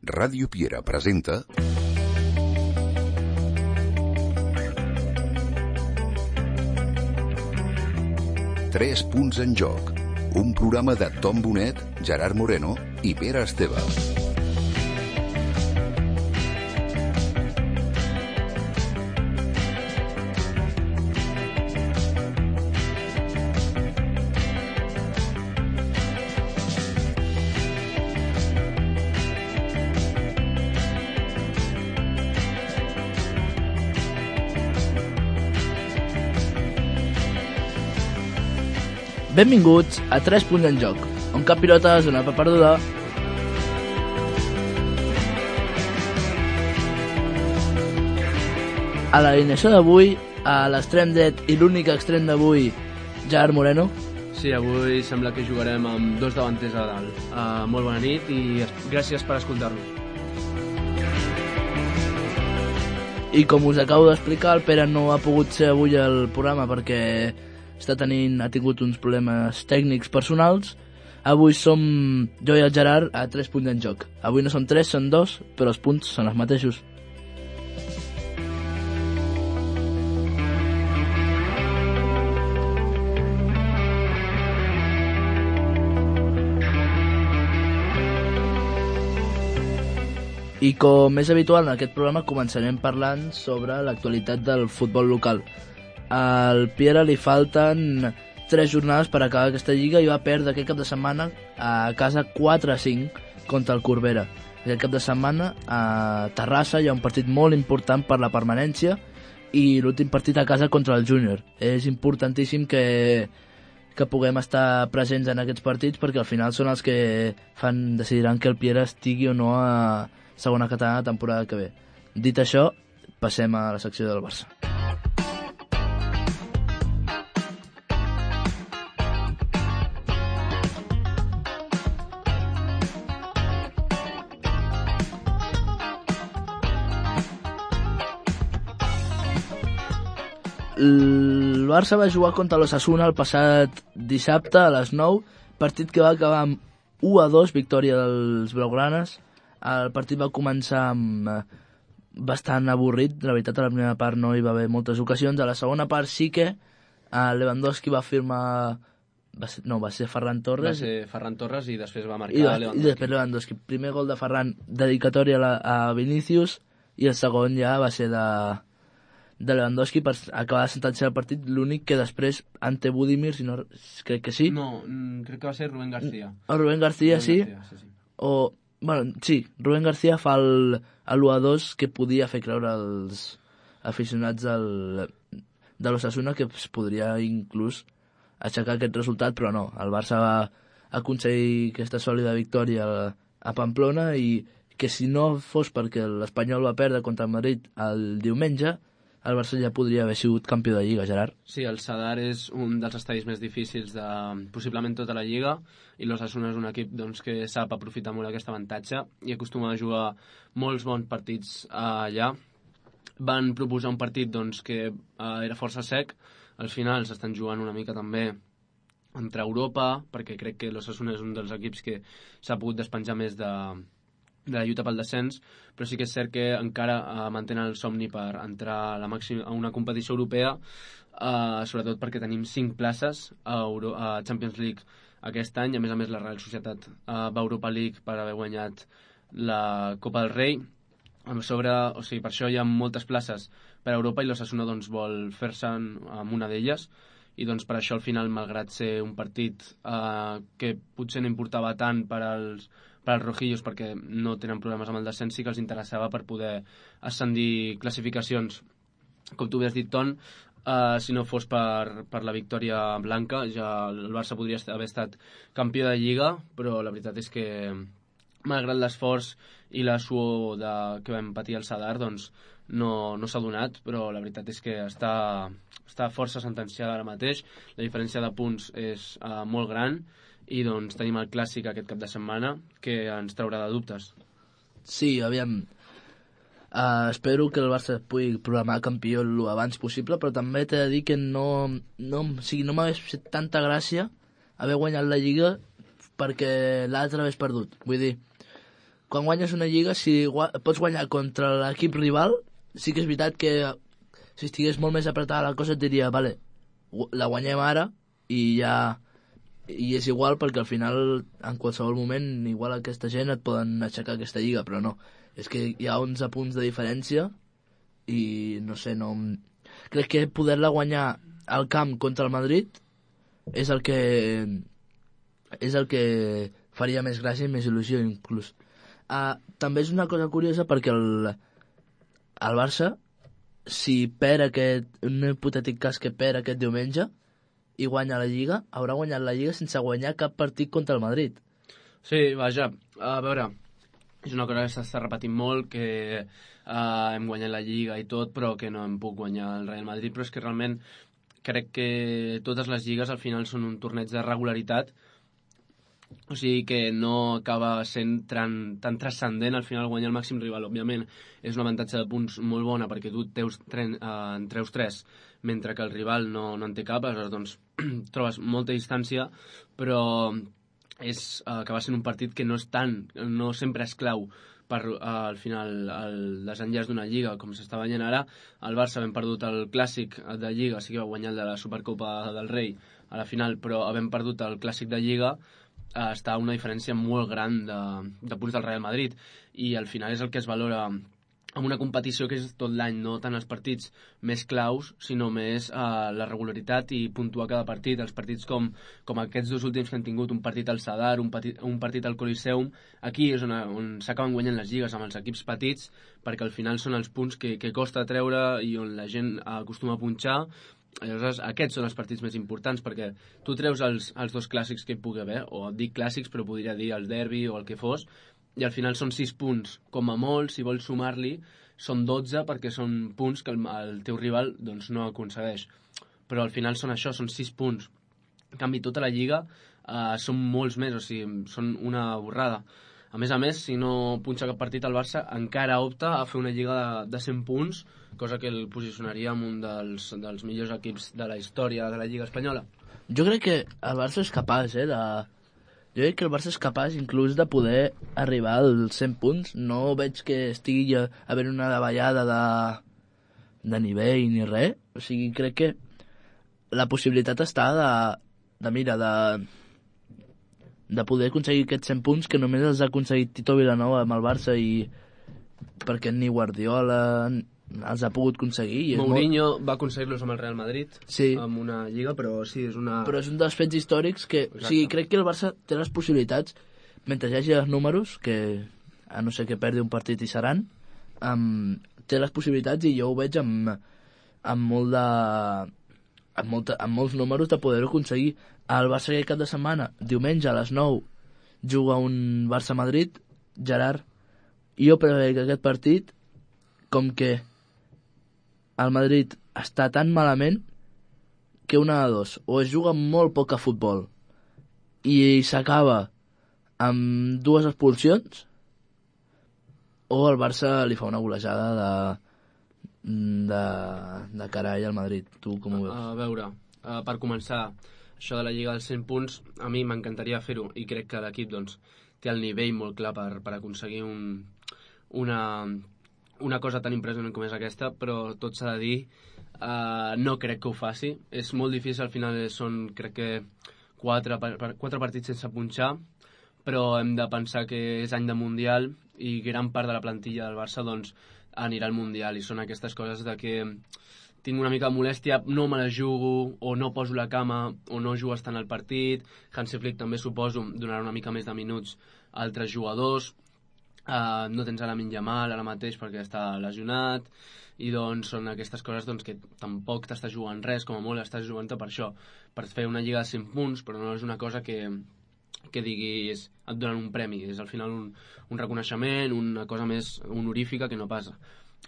Ràdio Piera presenta Tres punts en joc, un programa de Tom Bonet, Gerard Moreno i Pere Esteve. Benvinguts a 3 punts en joc, on cap pilota es dona per perduda. A l'alineació d'avui, a l'extrem dret i l'únic extrem d'avui, Gerard Moreno. Sí, avui sembla que jugarem amb dos davanters a dalt. Molt bona nit i gràcies per escoltar-nos. I com us acabo d'explicar, el Pere no ha pogut ser avui al programa perquè ha tingut uns problemes tècnics personals. Avui som jo i el Gerard a 3 punts en joc. Avui no són 3, són 2, però els punts són els mateixos. I com és habitual en aquest programa començarem parlant sobre l'actualitat del futbol local. Al Piera li falten 3 jornades per acabar aquesta lliga i va perdre aquest cap de setmana a casa 4-5 contra el Corbera. Aquest cap de setmana a Terrassa hi ha un partit molt important per la permanència i l'últim partit a casa contra el Júnior. És importantíssim que puguem estar presents en aquests partits perquè al final són els que decidiran que el Piera estigui o no a segona catalana la temporada que ve. Dit això, passem a la secció del Barça. El Barça va jugar contra l'Osasuna el passat dissabte a les 9, partit que va acabar amb 1-2, victòria dels blaugranes. El partit va començar amb bastant avorrit, la veritat a la primera part no hi va haver moltes ocasions, a la segona part sí que Lewandowski va firmar, va ser Ferran Torres. Va ser Ferran Torres i després va marcar Lewandowski. I després Lewandowski, primer gol de Ferran, dedicatòria a Vinícius, i el segon ja va ser de Lewandowski per acabar de sentenciar el partit, l'únic que després ante Budimir, si no, crec que sí. No, crec que va ser Rubén García. Rubén García, sí. Rubén García fa l'1-2 que podia fer creure als aficionats de l'Osasuna que es podria inclús aixecar aquest resultat, però no, el Barça va aconseguir aquesta sòlida victòria a Pamplona i que si no fos perquè l'Espanyol va perdre contra el Madrid el diumenge, el Barça ja podria haver sigut campió de Lliga, Gerard. Sí, el Sadar és un dels estadis més difícils de possiblement tota la Lliga i l'Osasuna és un equip que sap aprofitar molt aquest avantatge i acostuma a jugar molts bons partits allà. Van proposar un partit que era força sec. Al final s'estan jugant una mica també entre Europa, perquè crec que l'Osasuna és un dels equips que s'ha pogut despenjar més de la lluita pel descens, però sí que és cert que encara mantenen el somni per entrar a una competició europea, sobretot perquè tenim 5 places a Champions League aquest any. A més la Real Societat va a Europa League per haver guanyat la Copa del Rei. Per això hi ha moltes places per a Europa i l'Osasuna vol fer-se amb una d'elles i per això al final, malgrat ser un partit que potser no importava tant per als rojillos perquè no tenen problemes amb el descens, sí que els interessava per poder ascendir classificacions. Com tu has dit, Ton, si no fos per la victòria blanca, ja el Barça podria haver estat campió de Lliga, però la veritat és que malgrat l'esforç i la suor que vam patir al Sadar, no s'ha donat, però la veritat és que està força sentenciada ara mateix. La diferència de punts és molt gran i tenim el clàssic aquest cap de setmana que ens traurà de dubtes. Sí, aviam, espero que el Barça pugui programar campió l'abans possible, però també t'he de dir que no m'hagués fet tanta gràcia haver guanyat la Lliga perquè l'altre hagués perdut. Vull dir, quan guanyes una lliga, si pots guanyar contra l'equip rival, sí que és veritat que si estigués molt més apretada la cosa et diria, vale, la guanyem ara i ja... I és igual perquè al final, en qualsevol moment, igual aquesta gent et poden aixecar aquesta lliga, però no. És que hi ha 11 punts de diferència i no sé, no... Crec que poder-la guanyar al camp contra el Madrid és el que faria més gràcia i més il·lusió, inclús. També és una cosa curiosa perquè el Barça, si perd un hipotètic cas que perd aquest diumenge i guanya la Lliga, haurà guanyat la Lliga sense guanyar cap partit contra el Madrid. Sí, vaja, a veure, és una cosa que s'està repetint molt, que hem guanyat la Lliga i tot, però que no hem pogut guanyar el Real Madrid, però és que realment crec que totes les lligues al final són un torneig de regularitat, o sigui que no acaba sent tan transcendent al final guanyar el màxim rival. Òbviament és un avantatge de punts molt bona perquè tu en treus 3 mentre que el rival no en té cap, aleshores doncs trobes molta distància, però acaba sent un partit que no sempre és clau per al final el desenllaç d'una lliga, com s'està guanyant ara. El Barça havent perdut el clàssic de Lliga, sí que va guanyar el de la Supercopa del Rei a la final, però havent perdut el clàssic de Lliga està una diferència molt gran de punts del Real Madrid, i al final és el que es valora en una competició que és tot l'any, no tant els partits més claus, sinó més la regularitat i puntuar cada partit. Els partits com aquests dos últims que han tingut, un partit al Sadar, un partit al Coliseum, aquí és on s'acaben guanyant les lligues amb els equips petits, perquè al final són els punts que costa treure i on la gent acostuma a punxar. Aleshores, aquests són els partits més importants, perquè tu treus els dos clàssics que hi pugui haver, o et dic clàssics, però podria dir el derbi o el que fos, i al final són 6 punts. Com a molt, si vols sumar-li, són 12, perquè són punts que el teu rival doncs, no aconsegueix. Però al final són això, són 6 punts. En canvi, tota la Lliga són molts més, o sigui, són una borrada. A més, si no punxa cap partit, el Barça encara opta a fer una Lliga de 100 punts, cosa que el posicionaria en un dels millors equips de la història de la Lliga espanyola. Jo crec que el Barça és capaç, Jo crec que el Barça és capaç inclús de poder arribar als 100 punts. No veig que estigui havent una davallada de nivell ni res. O sigui, crec que la possibilitat està de poder aconseguir aquests 100 punts que només els ha aconseguit Tito Vilanova amb el Barça, i perquè ni Guardiola els ha pogut aconseguir. Mourinho va aconseguir-los amb el Real Madrid, sí, amb una lliga, però sí, és una... Però és un dels fets històrics que... Exacte. O sigui, crec que el Barça té les possibilitats, mentre hi hagi els números, que a no ser que perdi un partit i seran, té les possibilitats, i jo ho veig amb molts números de poder-ho aconseguir. El Barça aquest cap de setmana, diumenge a les 9, juga un Barça-Madrid. Gerard, jo preveig que aquest partit, com que el Madrid està tan malament, que una de dos, o es juga molt poc a futbol i s'acaba amb 2 expulsions, o el Barça li fa una golejada de carall al Madrid. Tu com ho veus? A veure, per començar, això de la Lliga dels 100 punts, a mi m'encantaria fer-ho, i crec que l'equip doncs, té el nivell molt clar per aconseguir una cosa tan impressionant com és aquesta, però tot s'ha de dir, no crec que ho faci. És molt difícil, al final són, crec que, 4 partits sense punxar, però hem de pensar que és any de Mundial i gran part de la plantilla del Barça doncs, anirà al Mundial, i són aquestes coses de que tinc una mica de molèstia, no me la jugo, o no poso la cama, o no jugues tant al partit. Hansi Flick també, suposo, donarà una mica més de minuts a altres jugadors. No tens a Lamine Yamal ara mateix perquè està lesionat, i doncs són aquestes coses doncs, que tampoc t'estàs jugant res, com a molt estàs jugant per això, per fer una lliga de 100 punts, però no és una cosa que diguis et donen un premi, és al final un reconeixement, una cosa més honorífica que no passa.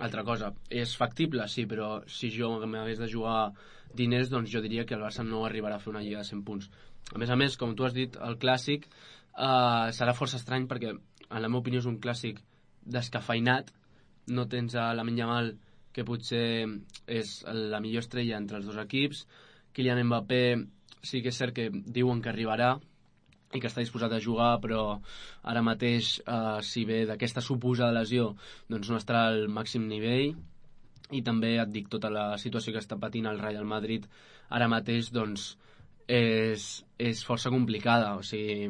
Altra cosa, és factible? Sí, però si jo m'hagués de jugar diners, doncs jo diria que el Barça no arribarà a fer una lliga de 100 punts. A més, com tu has dit, el clàssic serà força estrany perquè, en la meva opinió, és un clàssic descafeinat. No tens a Lamine Yamal, que potser és la millor estrella entre els dos equips. Kylian Mbappé sí que és cert que diuen que arribarà, i que està disposat a jugar, però ara mateix, si ve d'aquesta suposada lesió, doncs no estarà al màxim nivell. I també et dic, tota la situació que està patint el Real Madrid ara mateix doncs és força complicada. O sigui,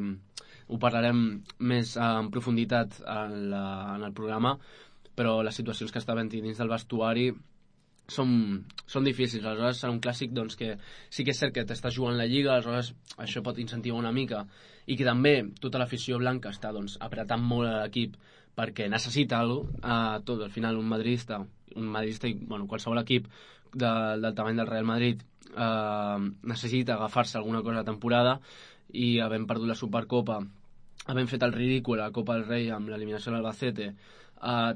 ho parlarem més en profunditat en el programa, però les situacions que està havent dins del vestuari són difícils. Aleshores serà un clàssic doncs, que sí que és cert que t'estàs jugant la Lliga, aleshores això pot incentivar una mica, i que també tota l'afició blanca està doncs, apretant molt l'equip perquè necessita alguna cosa. Tot, al final un madridista i qualsevol equip del tamany del Real Madrid necessita agafar-se alguna cosa de temporada, i havent perdut la Supercopa, havent fet el ridícul a la Copa del Rei amb l'eliminació de l'Albacete,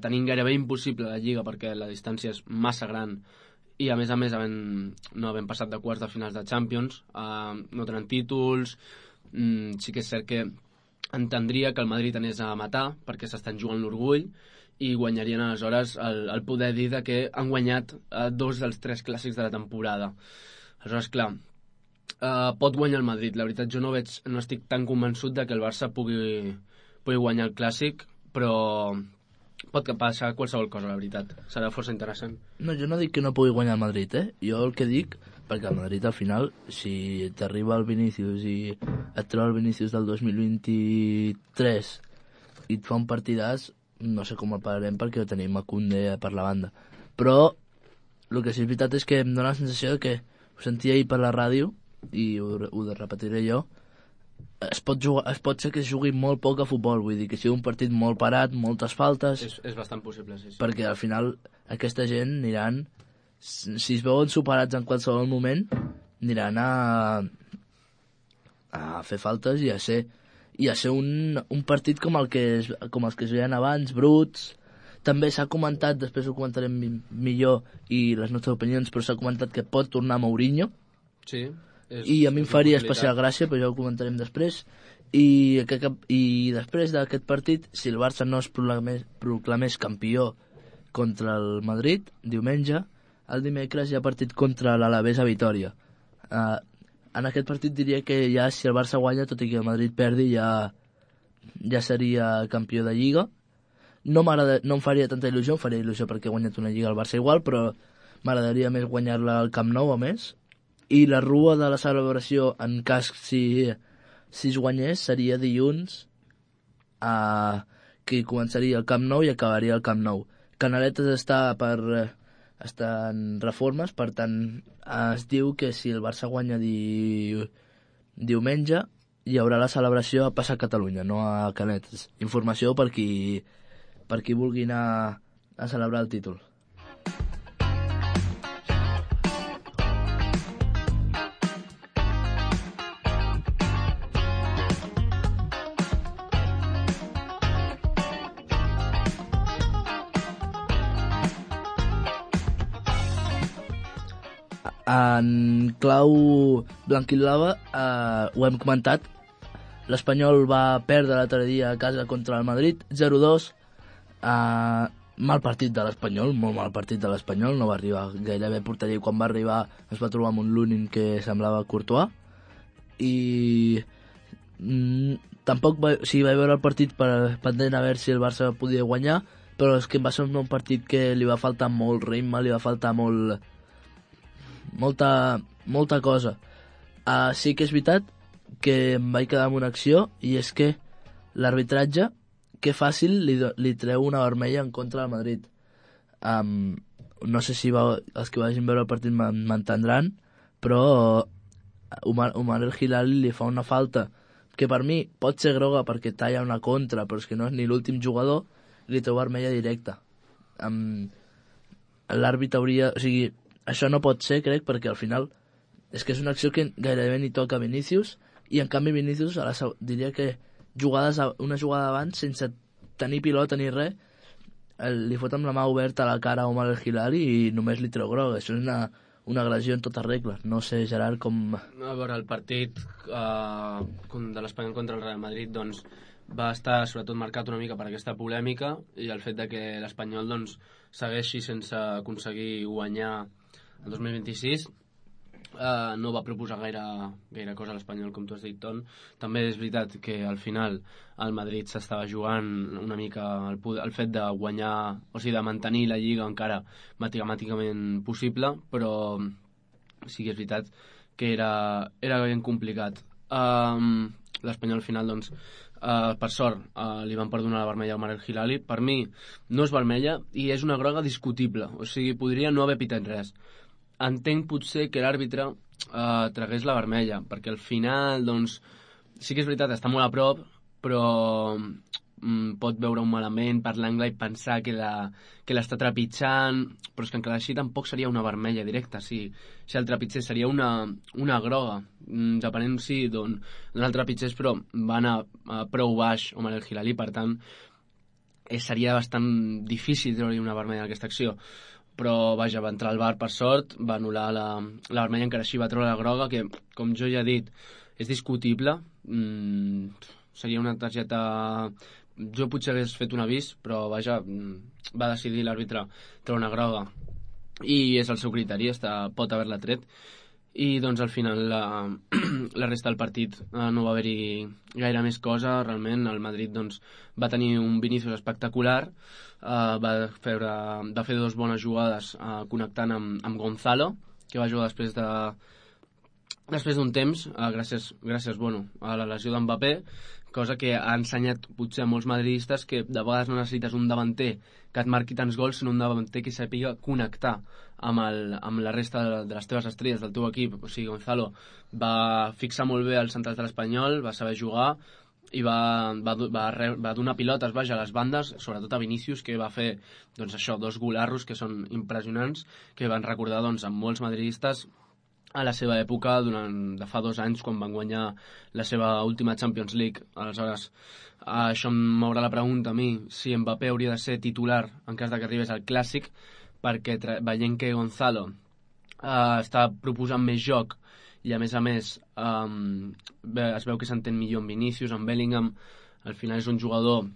tenint gairebé impossible la Lliga perquè la distància és massa gran, i a més no havent passat de quarts de finals de Champions, no tenen títols. Sí que és cert que entendria que el Madrid anés a matar perquè s'estan jugant l'orgull, i guanyarien aleshores el poder dir que han guanyat 2 dels 3 clàssics de la temporada. Aleshores, clar, pot guanyar el Madrid. La veritat, jo no estic tan convençut de que el Barça pugui guanyar el clàssic, però pot passar qualsevol cosa, la veritat. Serà força interessant. No, jo no dic que no pugui guanyar el Madrid, Jo el que dic, perquè el Madrid al final, si t'arriba el Vinícius i et treu el Vinícius del 2023 i et fa un partidàs, no sé com el pararem perquè tenim a Koundé per la banda. Però el que sí és veritat és que em dóna la sensació que ho sentia ahir per la ràdio, i ho repetiré jo, es pot ser que es jugui molt poc a futbol, vull dir que sigui un partit molt parat, moltes faltes. És bastant possible, sí. Perquè al final aquesta gent aniran, si es veuen superats en qualsevol moment, aniran a fer faltes i a ser un partit com els que es veien abans, bruts. També s'ha comentat, després ho comentarem millor i les nostres opinions, però s'ha comentat que pot tornar Mourinho. Sí. I a mi em faria especial gràcia, però ja ho comentarem després. I després d'aquest partit, si el Barça no es proclamés campió contra el Madrid, diumenge, el dimecres hi ha partit contra l'Alavés a Vitòria. En aquest partit diria que ja si el Barça guanya, tot i que el Madrid perdi, ja seria campió de Lliga. No em faria tanta il·lusió, em faria il·lusió perquè ha guanyat una Lliga al Barça igual, però m'agradaria més guanyar-la al Camp Nou, a més. I la rua de la celebració, en cas si es guanyés, seria dilluns, que començaria al Camp Nou i acabaria al Camp Nou. Canaletes està en reformes, per tant es diu que si el Barça guanya diumenge hi haurà la celebració a Plaça Catalunya, no a Canetes. Informació per qui vulgui anar a celebrar el títol. En clau blanquiblava, ho hem comentat, l'Espanyol va perdre l'altre dia a casa contra el Madrid, 0-2. Mal partit de l'Espanyol, molt mal partit de l'Espanyol, no va arribar gairebé a porteria, quan va arribar es va trobar amb un Lunin que semblava Courtois, i tampoc vaig veure el partit pendent a veure si el Barça podia guanyar, però és que va ser un partit que li va faltar molt ritme, li va faltar molta cosa. Sí que és veritat que em vaig quedar amb una acció, i és que l'arbitratge, que fàcil li treu una vermella en contra del Madrid. No sé si els que vagin veure el partit m'entendran, però Omar El Hilali li fa una falta que per mi pot ser groga perquè talla una contra, però és que no és ni l'últim jugador, li treu vermella directa. L'àrbit hauria... O sigui, això no pot ser, crec, perquè al final és que és una acció que gairebé ni toca Vinícius, i en canvi Vinícius diria que una jugada abans, sense tenir pilota ni res, li fot amb la mà oberta a la cara a Omar El Hilali i només li treu groga. Això és una agressió en totes regles. No sé, Gerard, com... A veure, el partit de l'Espanyol contra el Real Madrid doncs, va estar sobretot marcat una mica per aquesta polèmica i el fet de que l'Espanyol doncs, segueixi sense aconseguir guanyar el 2026. no va proposar gaire cosa a l'Espanyol, com tu has dit, Ton. També és veritat que al final el Madrid s'estava jugant una mica el fet de guanyar, o sigui, de mantenir la Lliga encara matemàticament possible, però sí que és veritat que era ben complicat. L'Espanyol al final, doncs, per sort, li van perdonar la vermella al Marc Hilali. Per mi no és vermella i és una groga discutible, o sigui, podria no haver pitat res. Entenc potser que l'àrbitre tragués la vermella, perquè al final, doncs, sí que és veritat, està molt a prop, però pot veure un malament per l'angle i pensar que l'està trepitjant, però és que encara així tampoc seria una vermella directa. Si el trepitgés seria una groga, depenent d'on el trepitgés, però va anar prou baix o el Hilali, per tant seria bastant difícil treure una vermella d'aquesta acció. Però vaja, va entrar al VAR per sort, va anul·lar la vermella, encara així va treure la groga, que com jo ja he dit és discutible. Seria una targeta, jo potser hagués fet un avís, però vaja, va decidir l'àrbitre treure una groga i és el seu criteri, pot haver-la tret. I doncs al final la resta del partit no va haver-hi gaire més cosa. Realment el Madrid doncs, va tenir un Vinícius espectacular, va fer dues bones jugades connectant amb Gonzalo, que va jugar després d'un temps, gràcies a la lesió d'Mbappé, cosa que ha ensenyat potser a molts madridistes que de vegades no necessites un davanter que et marqui tants gols, sinó un davanter que sàpiga connectar amb la resta de les teves estrelles del teu equip. O sigui, Gonzalo va fixar molt bé els centrals de l'Espanyol, va saber jugar i va donar pilotes a les bandes, sobretot a Vinícius, que va fer doncs, això, 2 golarros que són impressionants, que van recordar doncs, amb molts madridistes a la seva època de fa 2 anys, quan van guanyar la seva última Champions League. Aleshores, això m'haurà la pregunta a mi, si Mbappé hauria de ser titular en cas que arribés al Clàssic, perquè veient que Gonzalo està proposant més joc i a més es veu que s'entén millor amb Vinícius, amb Bellingham. Al final és un jugador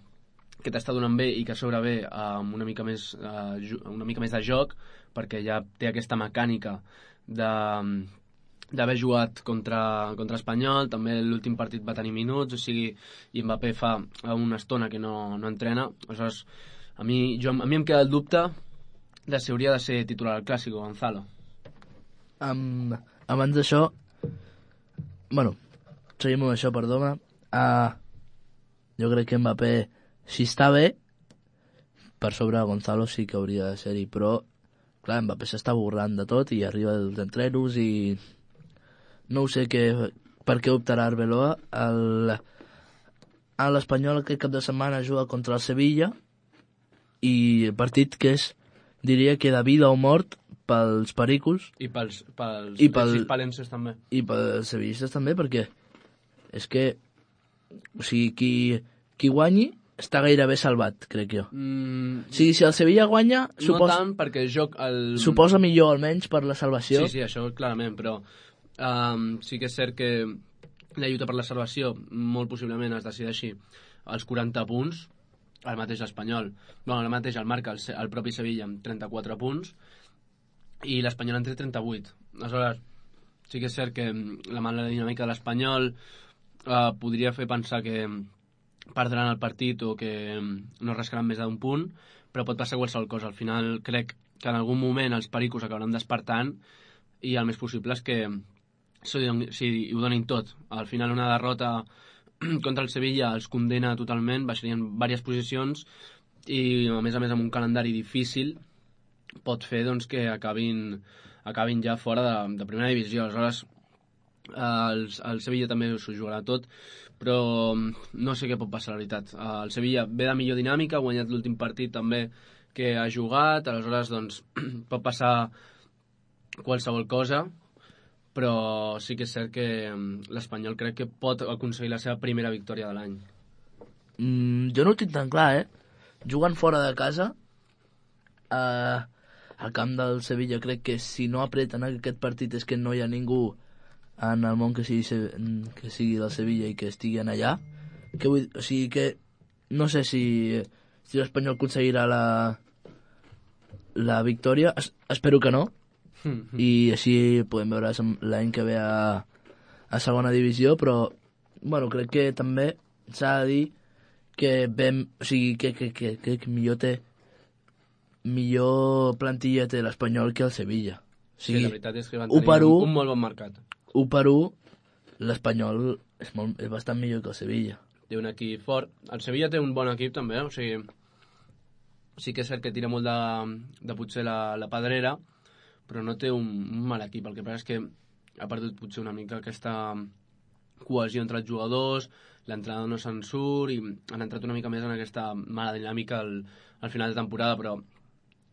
que t'està donant bé i que a sobre ve amb una mica més de joc, perquè ja té aquesta mecànica d'haver jugat contra Espanyol. També l'últim partit va tenir minuts, o sigui, i Mbappé fa una estona que no entrena. Aleshores, a mi em queda el dubte de si hauria de ser titular al Clàssic o Gonzalo. Abans d'això, seguim amb això, perdona. Jo crec que Mbappé, si està bé, per sobre Gonzalo sí que hauria de ser-hi, però clar, Mbappé s'està borrant de tot i arriba dels entrenos i no sé per què optarà Arbeloa. L'Espanyol aquest cap de setmana juga contra el Sevilla i el partit que diria que de vida o mort pels pericos i pels palenses també i pels sevillistes també, perquè és que o sigui, qui guanyi està gairebé salvat, crec jo. Si el Sevilla guanya, no tant, perquè suposa millor almenys per la salvació. Sí, això clarament, però sí que és cert que la lluita per la salvació molt possiblement es decideixi als 40 punts. El mateix Espanyol, el mateix el marca el propi Sevilla amb 34 punts i l'Espanyol en té 38. Aleshores, sí que és cert que la mala dinàmica de l'Espanyol podria fer pensar que perdran el partit o que no rascaran més d'un punt, però pot passar qualsevol cosa. Al final crec que en algun moment els pericos acabaran despertant i el més possible és que ho donin tot. Al final una derrota contra el Sevilla els condena totalment, baixarien diverses posicions i a més amb un calendari difícil pot fer doncs, que acabin ja fora de primera divisió. Aleshores el Sevilla també s'ho jugarà tot, però no sé què pot passar, la veritat. El Sevilla ve de millor dinàmica, ha guanyat l'últim partit també que ha jugat, aleshores doncs, pot passar qualsevol cosa, però sí que és cert que l'Espanyol crec que pot aconseguir la seva primera victòria de l'any. Jo no ho tinc tan clar, Jugant fora de casa, al camp del Sevilla, crec que si no apreten aquest partit és que no hi ha ningú en el món que sigui del Sevilla i que estiguen allà. O sigui que no sé si l'Espanyol aconseguirà la victòria. Espero que no, i així podem veure l'any que ve a segona divisió, però bueno, crec que també s'ha de dir que millor plantilla té l'Espanyol que el Sevilla. O sigui, sí, la veritat és que van tenir un molt bon mercat. 1-1, l'Espanyol és bastant millor que el Sevilla. Té un equip fort. El Sevilla té un bon equip també, o sigui, sí que és cert que tira molt de potser la pedrera, però no té un mal equip. El que passa és que ha perdut potser una mica aquesta cohesió entre els jugadors, l'entrenador no se'n surt i han entrat una mica més en aquesta mala dinàmica al final de temporada, però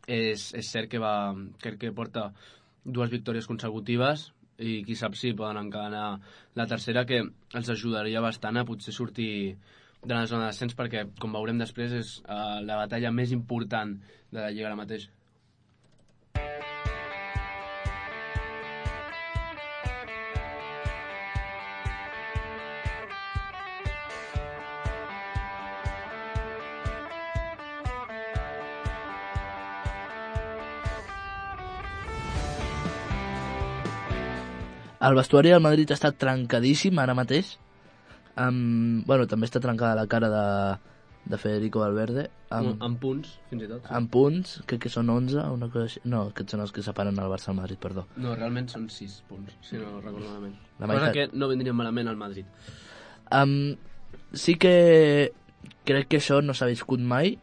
és cert que porta 2 victòries consecutives i qui sap si poden encadenar la tercera, que els ajudaria bastant a potser sortir de la zona d'ascens, perquè, com veurem després, és la batalla més important de la Lliga ara mateix. El vestuari del Madrid està trencadíssim ara mateix. Bueno, també està trencada la cara de Federico Valverde. Amb punts, fins i tot. Sí. Amb punts, crec que són 11, una cosa així. No, aquests són els que separen el Barça al Madrid, perdó. No, realment són 6 punts, si no recordo malament. Cosa que no vendria malament al Madrid. Sí que crec que això no s'ha viscut mai,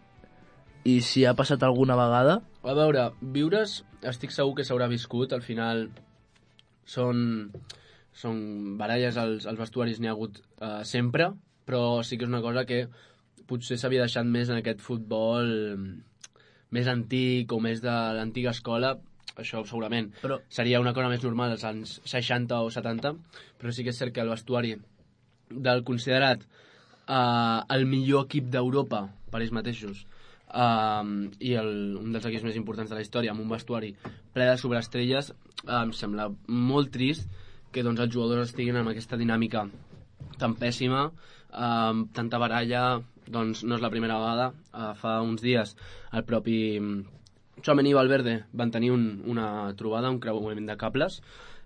i si ha passat alguna vegada... A veure, viures, estic segur que s'haurà viscut, al final... Són baralles als vestuaris, n'hi ha hagut sempre, però sí que és una cosa que potser s'havia deixat més en aquest futbol més antic o més de l'antiga escola, això segurament. Però seria una cosa més normal als anys 60 o 70, però sí que és cert que el vestuari del considerat el millor equip d'Europa per ells mateixos, i un dels equips més importants de la història, amb un vestuari ple de sobreestrelles, em sembla molt trist que doncs, els jugadors estiguin amb aquesta dinàmica tan pèssima, tanta baralla. Doncs no és la primera vegada. Fa uns dies el propi Tchouaméni i Valverde van tenir una trobada, un creuament de cables.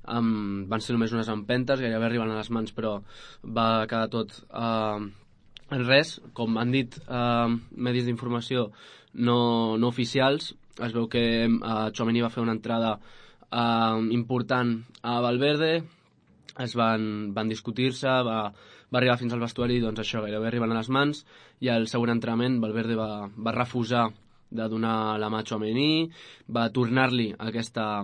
Van ser només unes empentes, gairebé arriben a les mans, però va quedar tot en res. Com han dit medis d'informació no oficials, es veu que Tchouaméni va fer una entrada important a Valverde, van discutir-se, va arribar fins al vestuari, doncs això, gairebé arriben a les mans, i al següent entrenament Valverde va refusar de donar la mà a Tchouaméni, va tornar-li aquesta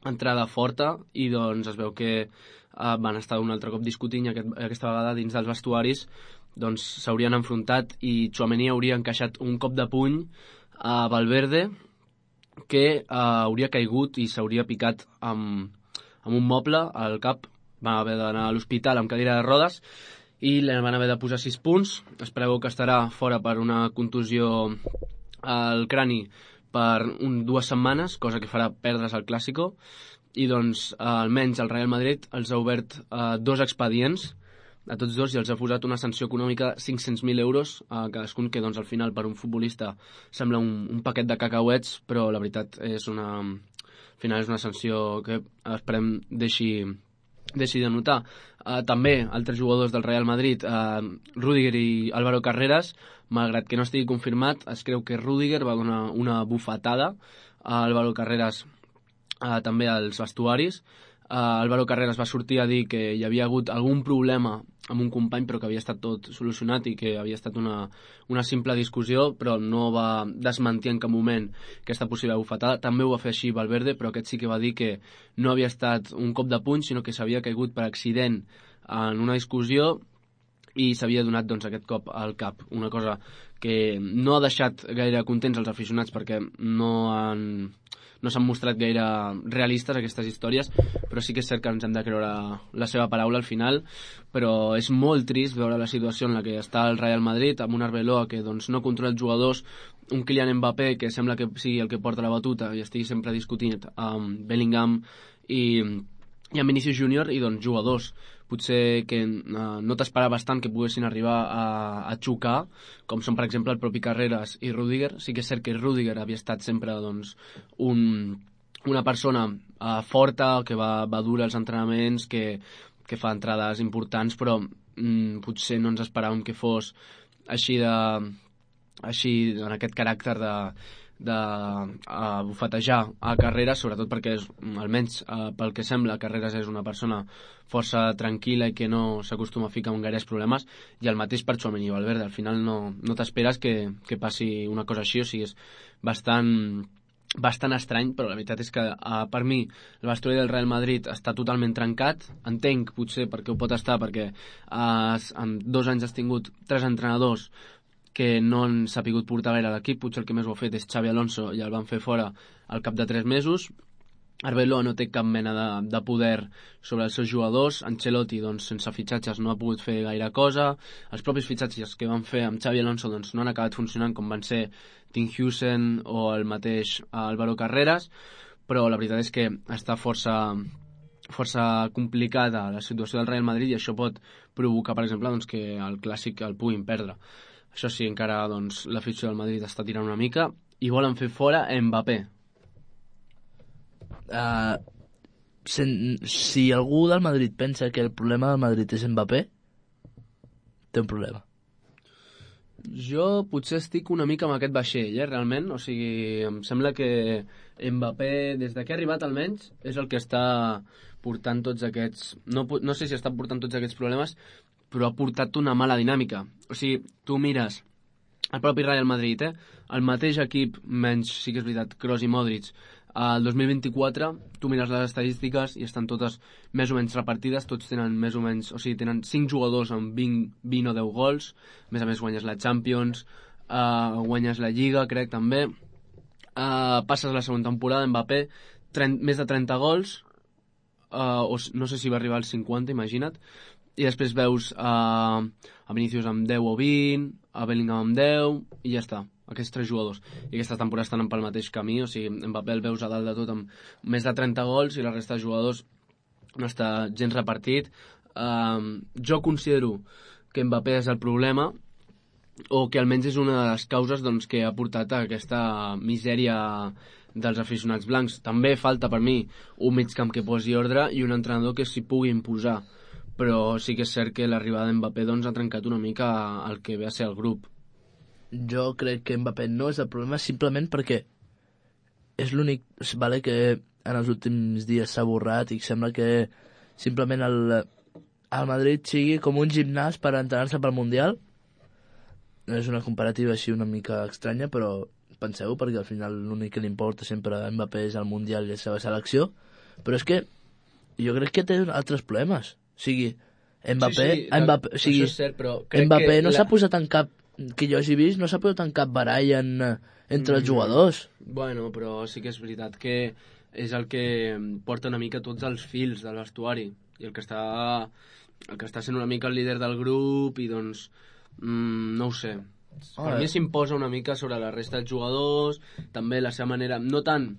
entrada forta, i doncs es veu que van estar un altre cop discutint, i aquesta vegada dins dels vestuaris doncs s'haurien enfrontat, i Tchouaméni hauria encaixat un cop de puny a Valverde que hauria caigut i s'hauria picat amb un moble al cap. Va haver d'anar a l'hospital amb cadira de rodes i li van haver de posar 6 punts. Es preveu que estarà fora per una contusió al crani per 2 setmanes, cosa que farà perdre's el Clàsico, i doncs almenys el Real Madrid els ha obert 2 expedients a tots dos i els ha posat una sanció econòmica de 500.000 euros a cadascun, que doncs al final per un futbolista sembla un paquet de cacauets, però la veritat és al final és una sanció que esperem deixi de notar. També altres jugadors del Real Madrid, Rüdiger i Álvaro Carreras, malgrat que no estigui confirmat, es creu que Rüdiger va donar una bufetada a Álvaro Carreras també als vestuaris. Álvaro Carreras va sortir a dir que hi havia hagut algun problema amb un company, però que havia estat tot solucionat i que havia estat una simple discussió, però no va desmentir en cap moment aquesta possible bufetada. També ho va fer així Valverde, però aquest sí que va dir que no havia estat un cop de puny, sinó que s'havia caigut per accident en una discussió i s'havia donat doncs, aquest cop al cap. Una cosa que no ha deixat gaire contents els aficionats, perquè no s'han mostrat gaire realistes aquestes històries, però sí que és cert que ens hem de creure la seva paraula al final. Però és molt trist veure la situació en la que està el Real Madrid, amb un Arbeloa que doncs, no controla els jugadors, un Kylian Mbappé que sembla que sigui el que porta la batuta i estigui sempre discutint amb Bellingham i amb Vinicius Júnior, i doncs jugadors potser que no t'esperaves tant que poguessin arribar a xocar, com són per exemple el propi Carreras i Rüdiger. Sí que és cert que Rüdiger havia estat sempre doncs, un una persona forta, que va dur als entrenaments, que fa entrades importants, però potser no ens esperàvem que fos així en aquest caràcter de bufetejar a Carreras, sobretot perquè almenys pel que sembla Carreras és una persona força tranquil·la i que no s'acostuma a ficar en gaires problemes, i el mateix per Tchouaméni i Valverde. Al final no t'esperes que passi una cosa així, o sigui, és bastant estrany, però la veritat és que per mi el vestuari del Real Madrid està totalment trencat. Entenc potser perquè ho pot estar, perquè en 2 anys has tingut 3 entrenadors que no han sapigut portar gaire l'equip. Potser el que més ho ha fet és Xabi Alonso i el van fer fora al cap de 3 mesos. Arbeloa no té cap mena de poder sobre els seus jugadors. Ancelotti, doncs, sense fitxatges no ha pogut fer gaire cosa. Els propis fitxatges que van fer amb Xabi Alonso doncs, no han acabat funcionant, com van ser Tim Hewson o el mateix Álvaro Carreras, però la veritat és que està força complicada la situació del Real Madrid, i això pot provocar, per exemple, doncs, que el Clàssic el puguin perdre. Això sí, encara doncs, l'afició del Madrid està tirant una mica i volen fer fora Mbappé. Si algú del Madrid pensa que el problema del Madrid és Mbappé, té un problema. Jo potser estic una mica amb aquest vaixell, realment. O sigui, em sembla que Mbappé, des que ha arribat almenys, és el que està portant tots aquests... No sé si està portant tots aquests problemes, però ha portat una mala dinàmica. O sigui, tu mires el propi Real Madrid, el mateix equip, menys, sí que és veritat, Kroos i Modric, el 2024, tu mires les estadístiques i estan totes més o menys repartides, tots tenen més o menys, o sigui, tenen 5 jugadors amb 20 o 10 gols, a més guanyes la Champions, guanyes la Lliga, crec, també, passes la segona temporada, Mbappé, més de 30 gols, o no sé si va arribar als 50, imagina't, i després veus a Vinícius amb 10 o 20, a Bellingham amb 10, i ja està, aquests 3 jugadors. I aquesta temporada estan pel mateix camí, o sigui, Mbappé el veus a dalt de tot amb més de 30 gols i la resta de jugadors no està gens repartit. Jo considero que Mbappé és el problema, o que almenys és una de les causes doncs, que ha portat a aquesta misèria dels aficionats blancs. També falta per mi un migcamp que posi ordre i un entrenador que s'hi pugui imposar, però sí que és cert que l'arribada d'Mbappé doncs, ha trencat una mica el que ve a ser el grup. Jo crec que Mbappé no és el problema, simplement perquè és l'únic, vale, que en els últims dies s'ha borrat i sembla que simplement el Madrid sigui com un gimnàs per entrenar-se pel Mundial. No és una comparativa així una mica estranya, però penseu, perquè al final l'únic que li importa sempre a Mbappé és el Mundial i la seva selecció, però és que jo crec que té altres problemes. O sigui, Mbappé, això és cert, però Mbappé no s'ha posat en cap, que jo hagi vist, no s'ha posat en cap barall entre els jugadors. Bueno, però sí que és veritat que és el que porta una mica tots els fils del vestuari, i el que està sent una mica el líder del grup, i doncs no ho sé, per mi s'imposa una mica sobre la resta dels jugadors, també la seva manera, no tant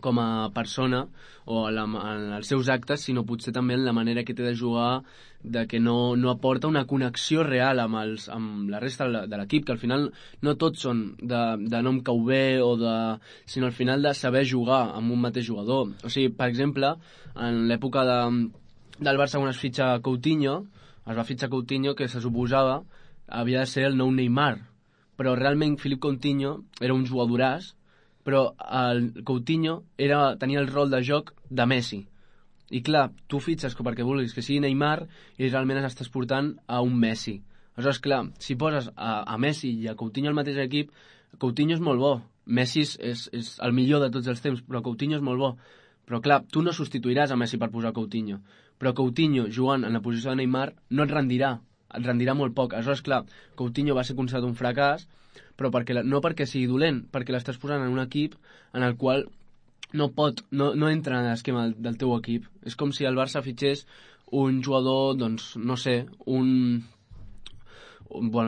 com a persona o en els seus actes, sinó potser també en la manera que té de jugar, de que no aporta una connexió real amb la resta de l'equip, que al final no tots són de nom cau bé, sinó al final de saber jugar amb un mateix jugador. O sigui, per exemple, en l'època del Barça, quan es fitxa Coutinho, que se suposava havia de ser el nou Neymar, però realment Philippe Coutinho era un jugadoràs, però el Coutinho tenia el rol de joc de Messi. I clar, tu fitxes perquè vulguis que sigui Neymar i realment estàs portant a un Messi. Aleshores, clar, si poses a Messi i a Coutinho al mateix equip, Coutinho és molt bo. Messi és el millor de tots els temps, però Coutinho és molt bo. Però clar, tu no substituiràs a Messi per posar Coutinho. Però Coutinho, jugant en la posició de Neymar, no et rendirà molt poc. Aleshores, clar, Coutinho va ser considerat un fracàs, però no perquè sigui dolent, perquè l'estàs posant en un equip en el qual no entra en l'esquema del teu equip. És com si el Barça fitxés un jugador, doncs, no sé, bueno,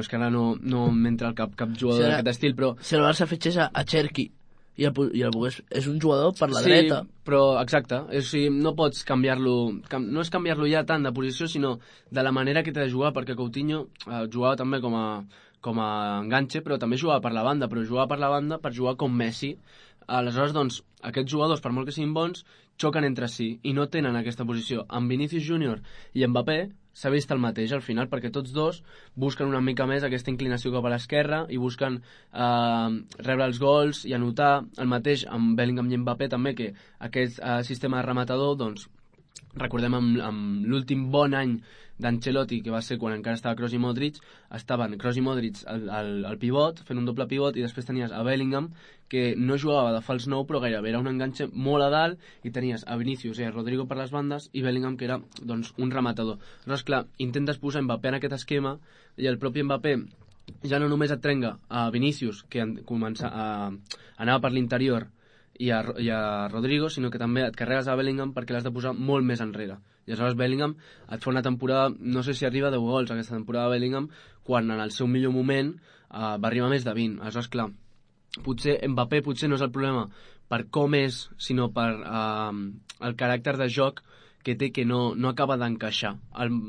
és que ara no m'entra al cap jugador d'aquest estil, però... Si el Barça fitxés a Cherki i el Bugués és un jugador per la dreta. Sí, però exacte, o sigui, no pots canviar-lo, no és canviar-lo ja tant de posició, sinó de la manera que t'ha de jugar, perquè Coutinho jugava també com a com a enganxe, però també jugava per la banda, però jugava per la banda per jugar com Messi. Aleshores, doncs, aquests jugadors, per molt que siguin bons, xoquen entre si i no tenen aquesta posició. Amb Vinícius Júnior i Mbappé s'ha vist el mateix al final, perquè tots dos busquen una mica més aquesta inclinació cap a l'esquerra i busquen rebre els gols i anotar. El mateix amb Bellingham i Mbappé també, que aquest sistema de rematador, doncs, recordem amb l'últim bon any d'Ancelotti, que va ser quan encara estava Kroos i Modric, estaven Kroos i Modric al pivot, fent un doble pivot, i després tenies a Bellingham, que no jugava de fals 9, però gairebé era un enganxe molt a dalt, i tenies a Vinícius i a Rodrigo per les bandes, i Bellingham, que era doncs, un rematador. Aleshores, clar, intentes posar Mbappé en aquest esquema, i el propi Mbappé ja no només et trenga a Vinícius, que anava per l'interior, i a Rodrigo, sinó que també et carregues a Bellingham perquè l'has de posar molt més enrere. I aleshores Bellingham et fa una temporada, no sé si arriba a 10 gols aquesta temporada Bellingham, quan en el seu millor moment va arribar a més de 20. Aleshores, clar, potser Mbappé no és el problema per com és, sinó per el caràcter de joc que té, que no acaba d'encaixar.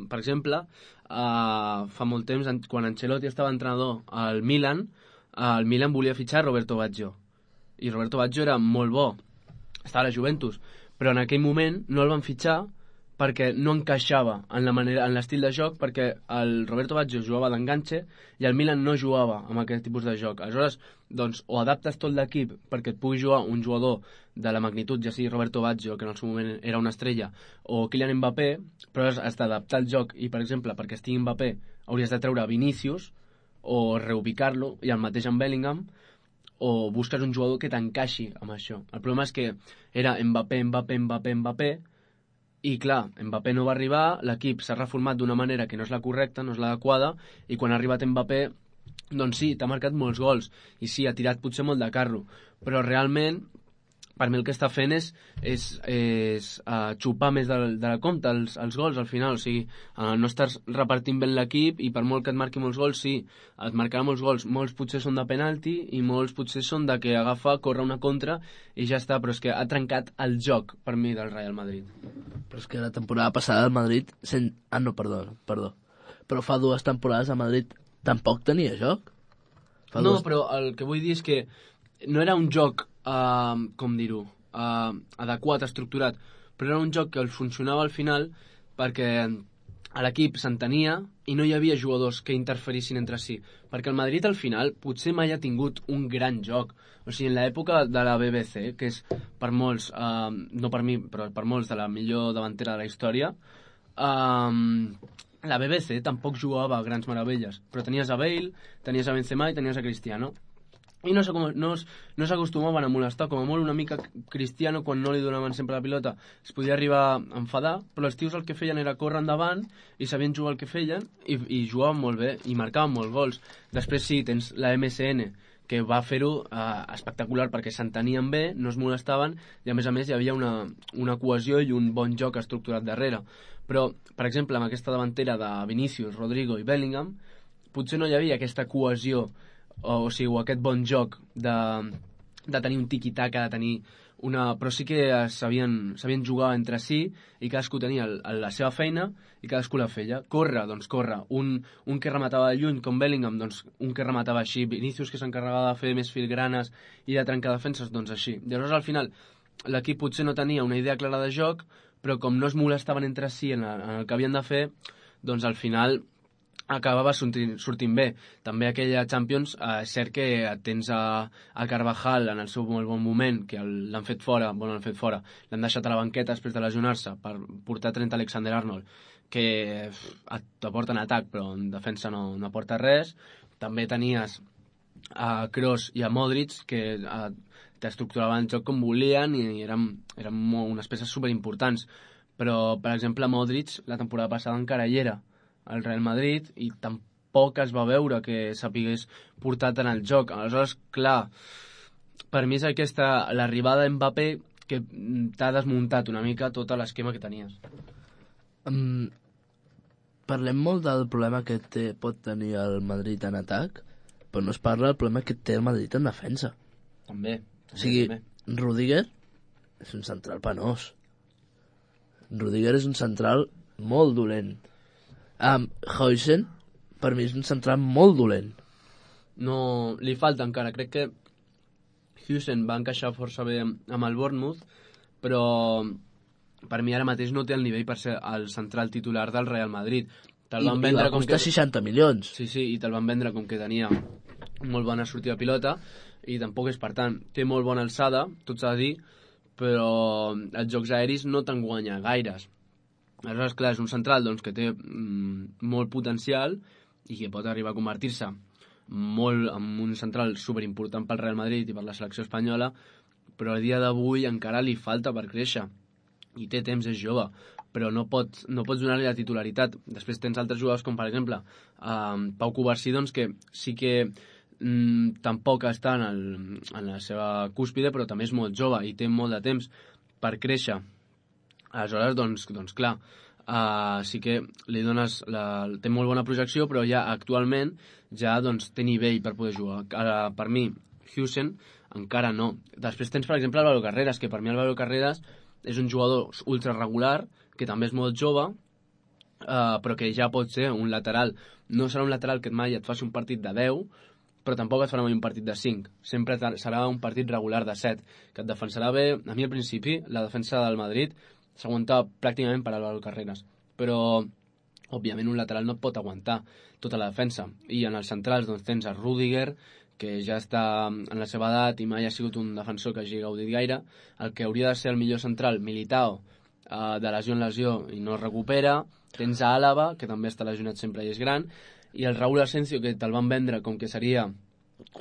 Per exemple, fa molt temps, quan Ancelotti estava entrenador al Milan, el Milan volia fitxar Roberto Baggio, i Roberto Baggio era molt bo, estava a la Juventus, però en aquell moment no el van fitxar perquè no encaixava en l'estil de joc, perquè el Roberto Baggio jugava d'enganxe i el Milan no jugava amb aquest tipus de joc. Aleshores, doncs, o adaptes tot l'equip perquè et pugui jugar un jugador de la magnitud, ja sigui Roberto Baggio, que en el seu moment era una estrella, o Kylian Mbappé, però has d'adaptar el joc, i per exemple, perquè estigui Mbappé hauries de treure Vinícius o reubicar-lo, i el mateix amb Bellingham, o busques un jugador que t'encaixi amb això. El problema és que era Mbappé, i clar, Mbappé no va arribar, l'equip s'ha reformat d'una manera que no és la correcta, no és l'adequada, i quan ha arribat Mbappé, doncs sí, t'ha marcat molts gols, i sí, ha tirat potser molt de carro, però realment, per mi el que està fent és xupar més de la compte els gols al final, o sigui, no estàs repartint bé l'equip, i per molt que et marqui molts gols, sí, et marcarà molts gols, molts potser són de penalti i molts potser són de que agafa, corre una contra i ja està, però és que ha trencat el joc per mi del Real Madrid. Però és que la temporada passada el Madrid perdó, però fa 2 temporades el Madrid tampoc tenia joc. Però el que vull dir és que no era un joc com dir-ho, adequat, estructurat, però era un joc que funcionava al final perquè l'equip s'entenia i no hi havia jugadors que interferissin entre si, perquè el Madrid al final potser mai ha tingut un gran joc. O sigui, en l'època de la BBC, que és per molts, no per mi, però per molts de la millor davantera de la història, la BBC tampoc jugava grans meravelles, però tenies a Bale, tenies a Benzema i tenies a Cristiano, i no s'acostumaven a molestar, com a molt una mica Cristiano, quan no li donaven sempre la pilota es podia arribar a enfadar, però els tios el que feien era córrer endavant i sabien jugar el que feien i jugaven molt bé i marcaven molts gols. Després sí, tens la MSN, que va fer-ho espectacular perquè s'entenien bé, no es molestaven, i a més hi havia una cohesió i un bon joc estructurat darrere. Però, per exemple, amb aquesta davantera de Vinícius, Rodrigo i Bellingham, potser no hi havia aquesta cohesió, o sigui, aquest bon joc de tenir un tiki-taka, de tenir però sí que sabien jugar entre si, i cadascú tenia la seva feina i cadascú la feia. Corre. Un que rematava de lluny, com Bellingham, doncs un que rematava així. Vinícius, que s'encarregava de fer més filgranes i de trencar defenses, doncs així. Llavors, al final, l'equip potser no tenia una idea clara de joc, però com no es molestaven entre si en el que havien de fer, doncs al final acabava sortint bé. També aquella Champions, és cert que tens a Carvajal en el seu molt bon moment, que l'han fet fora, l'han deixat a la banqueta després de lesionar-se per portar 30 Alexander-Arnold, que t'aporta en atac, però en defensa no aporta res. També tenies a Kroos i a Modric, que t'estructuraven el joc com volien i eren unes peces superimportants. Però, per exemple, Modric la temporada passada encara hi era al Real Madrid i tampoc es va veure que sapigués portar tant el joc. Aleshores, clar, per mi és l'arribada d'Mbappé que t'ha desmuntat una mica tot l'esquema que tenies. Parlem molt del problema que pot tenir el Madrid en atac, però no es parla del problema que té el Madrid en defensa. També. O sigui, Rudiger és un central penós. Rudiger és un central molt dolent. Huijsen, per mi, és un central molt dolent. no, li falta encara. Crec que Huijsen va encaixar força bé amb el Bournemouth, però per mi ara mateix no té el nivell per ser el central titular del Real Madrid. I va costar 60 milions. Sí, i te'l van vendre com que tenia molt bona sortida de pilota, i tampoc és, per tant, té molt bona alçada, tot s'ha de dir, però els jocs aeris no te'n guanya gaires. Aleshores, clar, és un central doncs, que té molt potencial i que pot arribar a convertir-se molt en un central superimportant pel Real Madrid i per la selecció espanyola, però a dia d'avui encara li falta per créixer i té temps, és jove, però no pots donar-li la titularitat. Després tens altres jugadors com, per exemple, Pau Cubarsí, doncs, que sí que tampoc està en la seva cúspide, però també és molt jove i té molt de temps per créixer. Aleshores, doncs clar, sí que li dones té molt bona projecció, però ja actualment ja doncs, té nivell per poder jugar. Ara, per mi, Huijsen encara no. Després tens, per exemple, Álvaro Carreras, que per mi Álvaro Carreras és un jugador ultra regular, que també és molt jove, però que ja pot ser un lateral. No serà un lateral que mai et faci un partit de 10, però tampoc et farà mai un partit de 5. Sempre serà un partit regular de 7, que et defensarà bé. A mi, al principi, la defensa del Madrid s'aguantava pràcticament per Álvaro Carreras, però òbviament un lateral no et pot aguantar tota la defensa. I en els centrals doncs, tens a Rüdiger, que ja està en la seva edat i mai ha sigut un defensor que hagi gaudit gaire. El que hauria de ser el millor central, Militao, de lesió en lesió i no es recupera. Tens a Àlava, que també està lesionat sempre i és gran, i el Raúl Asensio, que te'l van vendre com que seria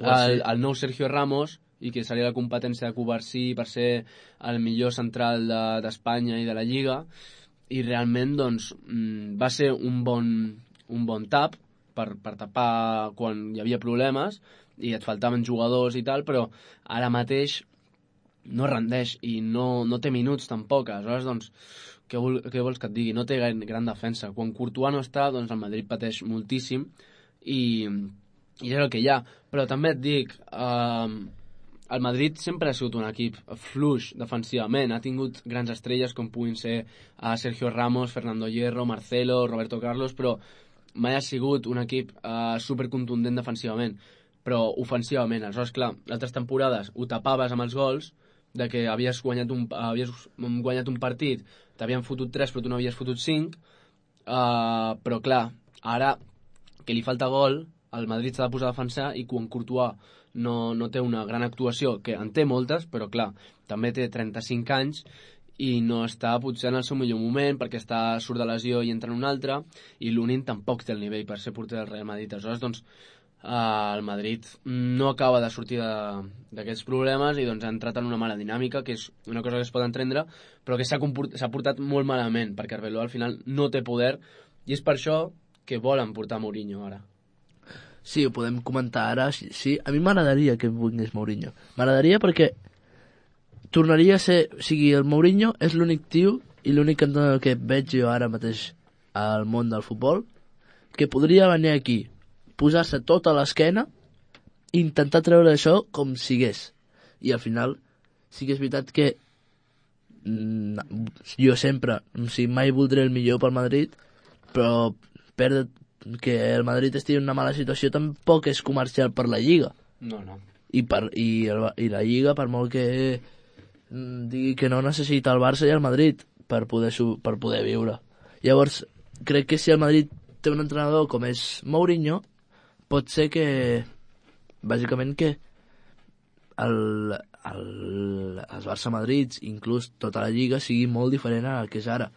el nou Sergio Ramos i que seria la competència de Cubarsí per ser el millor central d'Espanya i de la Lliga, i realment doncs, va ser un bon tap per tapar quan hi havia problemes i et faltaven jugadors i tal, però ara mateix no rendeix i no té minuts tampoc. Aleshores, doncs, què vols que et digui? No té gran defensa. Quan Courtois no està, doncs el Madrid pateix moltíssim i és el que hi ha. Però també et dic, el Madrid sempre ha sigut un equip fluix defensivament. Ha tingut grans estrelles com puguin ser Sergio Ramos, Fernando Hierro, Marcelo, Roberto Carlos, però mai ha sigut un equip supercontundent defensivament, però ofensivament. Aleshores, clar, altres temporades ho tapaves amb els gols, de que havies guanyat un partit, t'havien fotut 3 però tu no havies fotut 5, però clar, ara que li falta gol, el Madrid s'ha de posar a defensar, i quan Courtois no té una gran actuació, que en té moltes, però clar, també té 35 anys i no està potser en el seu millor moment perquè surt de lesió i entra en un altre, i Lunin tampoc té el nivell per ser porter del Real Madrid. Aleshores, doncs, el Madrid no acaba de sortir d'aquests problemes i doncs ha entrat en una mala dinàmica, que és una cosa que es pot entendre, però que s'ha portat molt malament, perquè Arbeloa al final no té poder, i és per això que volen portar Mourinho ara. Sí, ho podem comentar ara. Sí, a mi m'agradaria que vingués Mourinho. M'agradaria perquè tornaria a ser... O sigui, el Mourinho és l'únic tio i l'únic entrenador que veig jo ara mateix al món del futbol que podria venir aquí, posar-se tot a l'esquena i intentar treure això com sigués. I al final sí que és veritat que jo sempre, o sigui, mai voldré el millor pel Madrid, però perdre que el Madrid estigui en una mala situació tampoc és comercial per la Lliga. No. I la Lliga, per molt que digui que no, necessita el Barça i el Madrid per poder viure. Llavors, crec que si el Madrid té un entrenador com és Mourinho, pot ser que bàsicament que els Barça-Madrids, inclús tota la Lliga, sigui molt diferent al que és ara.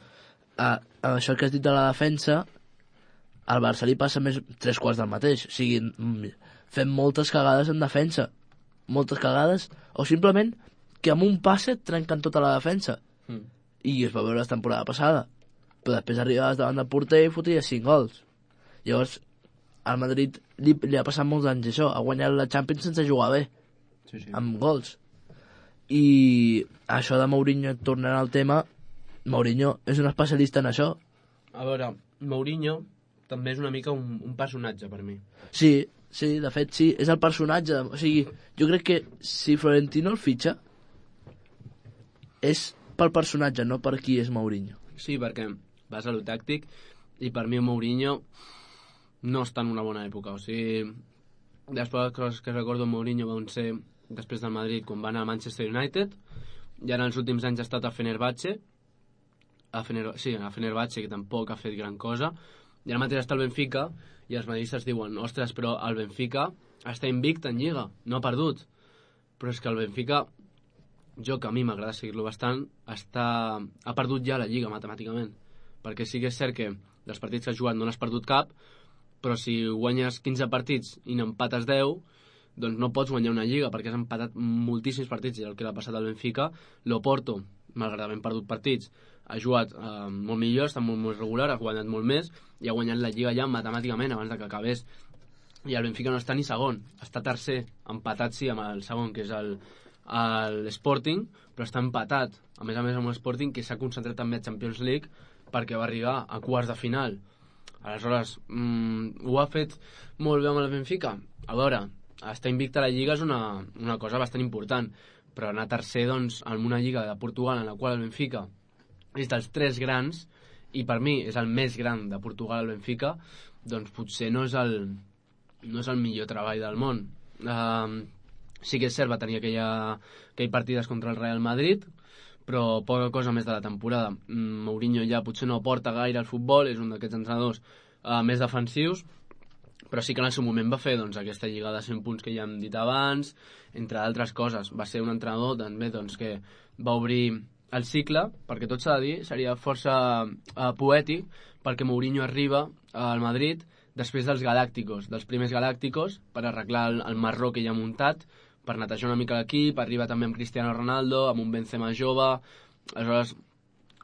Això que has dit de la defensa, al Barça li passa més 3/4 del mateix. O sigui, fem moltes cagades en defensa. Moltes cagades, o simplement que amb un passe et trenquen tota la defensa. I es va veure la temporada passada. Però després arribaves davant del porter i foties 5 gols. Llavors, al Madrid li ha passat molts anys això. Ha guanyat la Champions sense jugar bé. Sí. Amb gols. I això de Mourinho, tornant al tema, Mourinho és un especialista en això. A veure, Mourinho també és una mica un personatge per mi. Sí, de fet sí, és el personatge. O sigui, jo crec que si Florentino el fitxa és pel personatge, no per qui és Mourinho. Sí, perquè vas a lo tàctic i per mi Mourinho no està en una bona època. O sigui, Després les coses que recordo amb Mourinho van ser després del Madrid, quan va anar al Manchester United, i ara en els últims anys ha estat a Fenerbahçe, a Fenerbahçe, que tampoc ha fet gran cosa, i ara mateix està el Benfica, i els madridistes diuen, ostres, però el Benfica està invicte en Lliga, no ha perdut. Però és que el Benfica, jo que a mi m'agrada seguir-lo bastant, ha perdut ja la Lliga matemàticament, perquè sí que és cert que dels partits que has jugat no n'has perdut cap, però si guanyes 15 partits i n'empates 10, doncs no pots guanyar una Lliga, perquè has empatat moltíssims partits, i el que l'ha passat al Benfica. L'Oporto, malgrat haver perdut partits, ha jugat molt millor, està molt més regular, ha guanyat molt més, i ha guanyat la Lliga ja matemàticament abans de que acabés. I el Benfica no està ni segon, està tercer, empatat sí amb el segon, que és l'Sporting, però està empatat, a més amb l'Sporting, que s'ha concentrat també a Champions League, perquè va arribar a quarts de final. Aleshores, ho ha fet molt bé amb el Benfica? A veure, estar invicta a la Lliga és una cosa bastant important, però anar tercer, doncs, en una Lliga de Portugal en la qual el Benfica és dels 3 grans, i per mi és el més gran de Portugal, el Benfica, doncs potser no és el millor treball del món. Sí que és cert, va tenir aquell partides contra el Real Madrid, però poca cosa més de la temporada. Mourinho ja potser no aporta gaire al futbol, és un d'aquests entrenadors més defensius, però sí que en el seu moment va fer doncs, aquesta lliga de 100 punts que ja hem dit abans, entre altres coses. Va ser un entrenador també doncs, que va obrir el cicle, perquè tot s'ha de dir, seria força poètic, perquè Mourinho arriba al Madrid després dels Galácticos, dels primers Galácticos, per arreglar el marró que ja ha muntat, per netejar una mica l'equip. Arriba també amb Cristiano Ronaldo, amb un Benzema jove, aleshores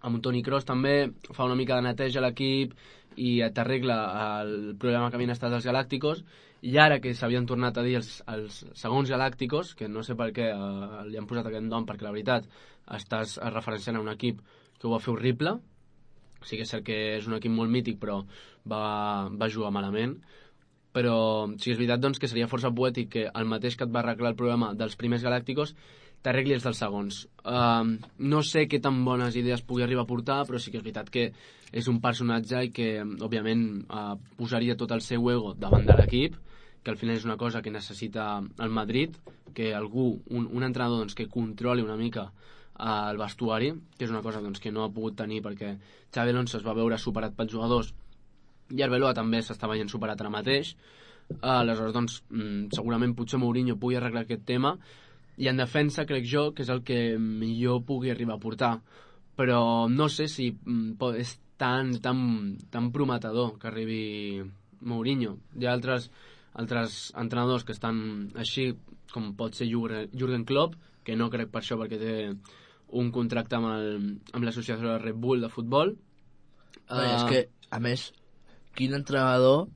amb un Toni Kroos també, fa una mica de neteja a l'equip i t'arregla el problema que havien estat els Galácticos, i ara que s'havien tornat a dir els segons Galácticos, que no sé per què li han posat aquest nom, perquè la veritat estàs referenciant a un equip que ho va fer horrible. Sí que és cert que és un equip molt mític, però va jugar malament. Però sí que és veritat doncs, que seria força poètic que el mateix que et va arreglar el problema dels primers Galácticos t'arregli els dels segons. No sé què tan bones idees pugui arribar a portar, però sí que és veritat que és un personatge i que, òbviament, posaria tot el seu ego davant de l'equip, que al final és una cosa que necessita el Madrid, que algú, un entrenador doncs, que controli una mica el vestuari, que és una cosa doncs, que no ha pogut tenir perquè Xabi Alonso es va veure superat pels jugadors i Arbeloa també s'està veient superat ara mateix. Aleshores, doncs, segurament potser Mourinho pugui arreglar aquest tema, i en defensa crec jo que és el que millor pugui arribar a portar, però no sé si és tan prometedor que arribi Mourinho. Hi ha altres entrenadors que estan així, com pot ser Jürgen Klopp, que no crec per això, perquè té un contracte amb l'associació de Red Bull de futbol. És que, a més, quin entrenador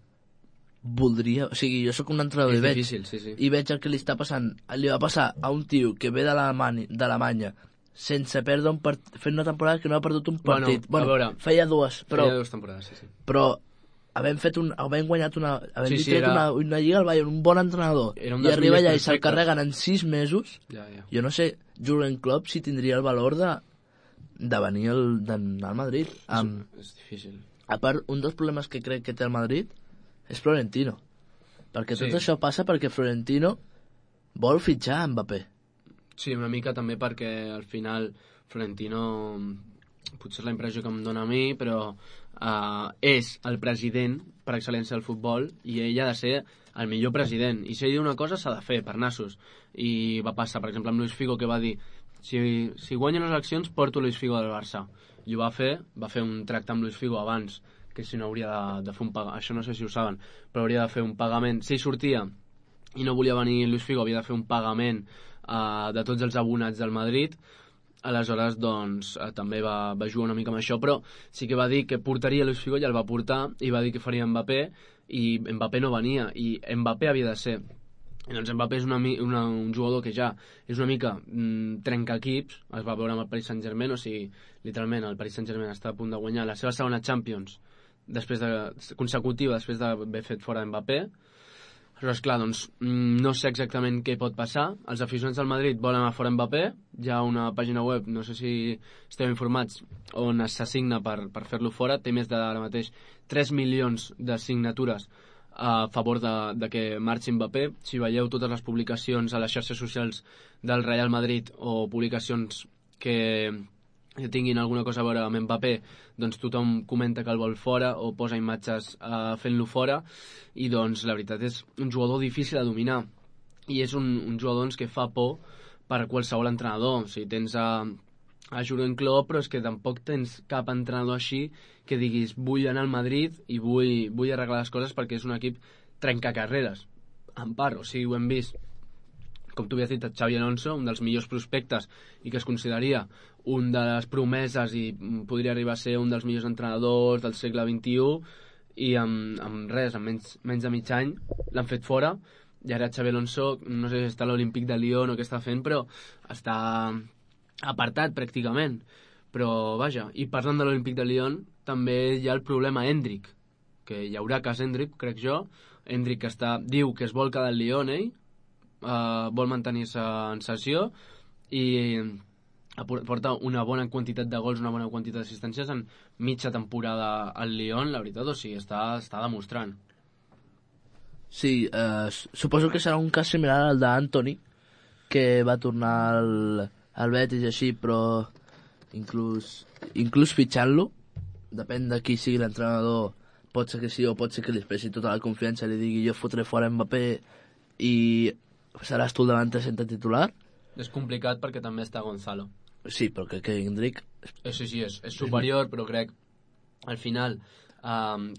voldria... O sigui, jo sóc un entrenador és difícil, sí. I veig el que li està passant. Li va passar a un tio que ve d'Alemanya sense perdre un partit, fent una temporada que no ha perdut un partit. Bueno, a veure, feia dues temporades, sí. Però havent guanyat una lliga al Bayern, un bon entrenador, i arriba allà i se'l carreguen en 6 mesos. Jo no sé, Jürgen Klopp si tindria el valor de venir d'anar al Madrid. És difícil. A part, un dels problemes que crec que té el Madrid és Florentino, perquè tot això passa perquè Florentino vol fitxar Mbappé. Sí, una mica també perquè al final Florentino, potser és la impressió que em dona a mi, però és el president per excel·lència del futbol, i ell ha de ser el millor president, i si ell diu una cosa s'ha de fer per nassos. I va passar, per exemple, amb Luis Figo, que va dir si guanyen les eleccions porto Luis Figo del Barça, i ho va fer un tracte amb Luis Figo abans, que si no hauria de fer un pagament, això no sé si ho saben, però hauria de fer un pagament, si sortia i no volia venir Luis Figo, havia de fer un pagament de tots els abonats del Madrid. Aleshores, doncs, també va jugar una mica amb això, però sí que va dir que portaria Luis Figo, i el va portar, i va dir que faria Mbappé, i Mbappé no venia, i Mbappé havia de ser. I doncs Mbappé és un jugador que ja és una mica trenca-equips. Es va veure amb el Paris Saint-Germain, o sigui, literalment el Paris Saint-Germain està a punt de guanyar la seva segona Champions consecutiva després d'haver fet fora Mbappé. Aleshores, clar, doncs, no sé exactament què pot passar. Els aficionats del Madrid volen anar fora Mbappé. Hi ha una pàgina web, no sé si esteu informats, on s'assigna per fer-lo fora. Té més de, ara mateix, 3 milions de signatures a favor de que marxi Mbappé. Si veieu totes les publicacions a les xarxes socials del Real Madrid o publicacions que tinguin alguna cosa a veure amb Mbappé, doncs tothom comenta que el vol fora o posa imatges fent-lo fora, i doncs la veritat és un jugador difícil de dominar, i és un jugador doncs, que fa por per a qualsevol entrenador. O sigui, tens a Jurgen Klopp, però és que tampoc tens cap entrenador així que diguis vull anar al Madrid i vull arreglar les coses, perquè és un equip trencacarreres, en part. O sigui, ho hem vist, com tu havies dit, Xabi Alonso, un dels millors prospectes i que es consideraria un de les promeses i podria arribar a ser un dels millors entrenadors del segle XXI, i amb res, amb menys de mig any l'han fet fora, i ara Xabi Alonso no sé si està a l'Olímpic de Lyon o què està fent, però està apartat pràcticament. Però vaja, i parlant de l'Olímpic de Lyon, també hi ha el problema Endrick, que hi haurà cas Endrick, crec jo. Endrick diu que es vol quedar al Lyon, vol mantenir-se en sessió i porta una bona quantitat de gols, una bona quantitat d'assistències en mitja temporada al Lyon, la veritat. O sigui, està demostrant. Sí, suposo que serà un cas similar al d'Antoni, que va tornar al Betis i així, però inclús fitxant-lo, depèn de qui sigui l'entrenador, pot ser que sí o pot ser que li expressi tota la confiança i li digui jo fotré fora Mbappé i seràs tu el davanter sense titular. És complicat perquè també està Gonzalo. Sí, però crec que Endrick... Sí, és superior, però crec al final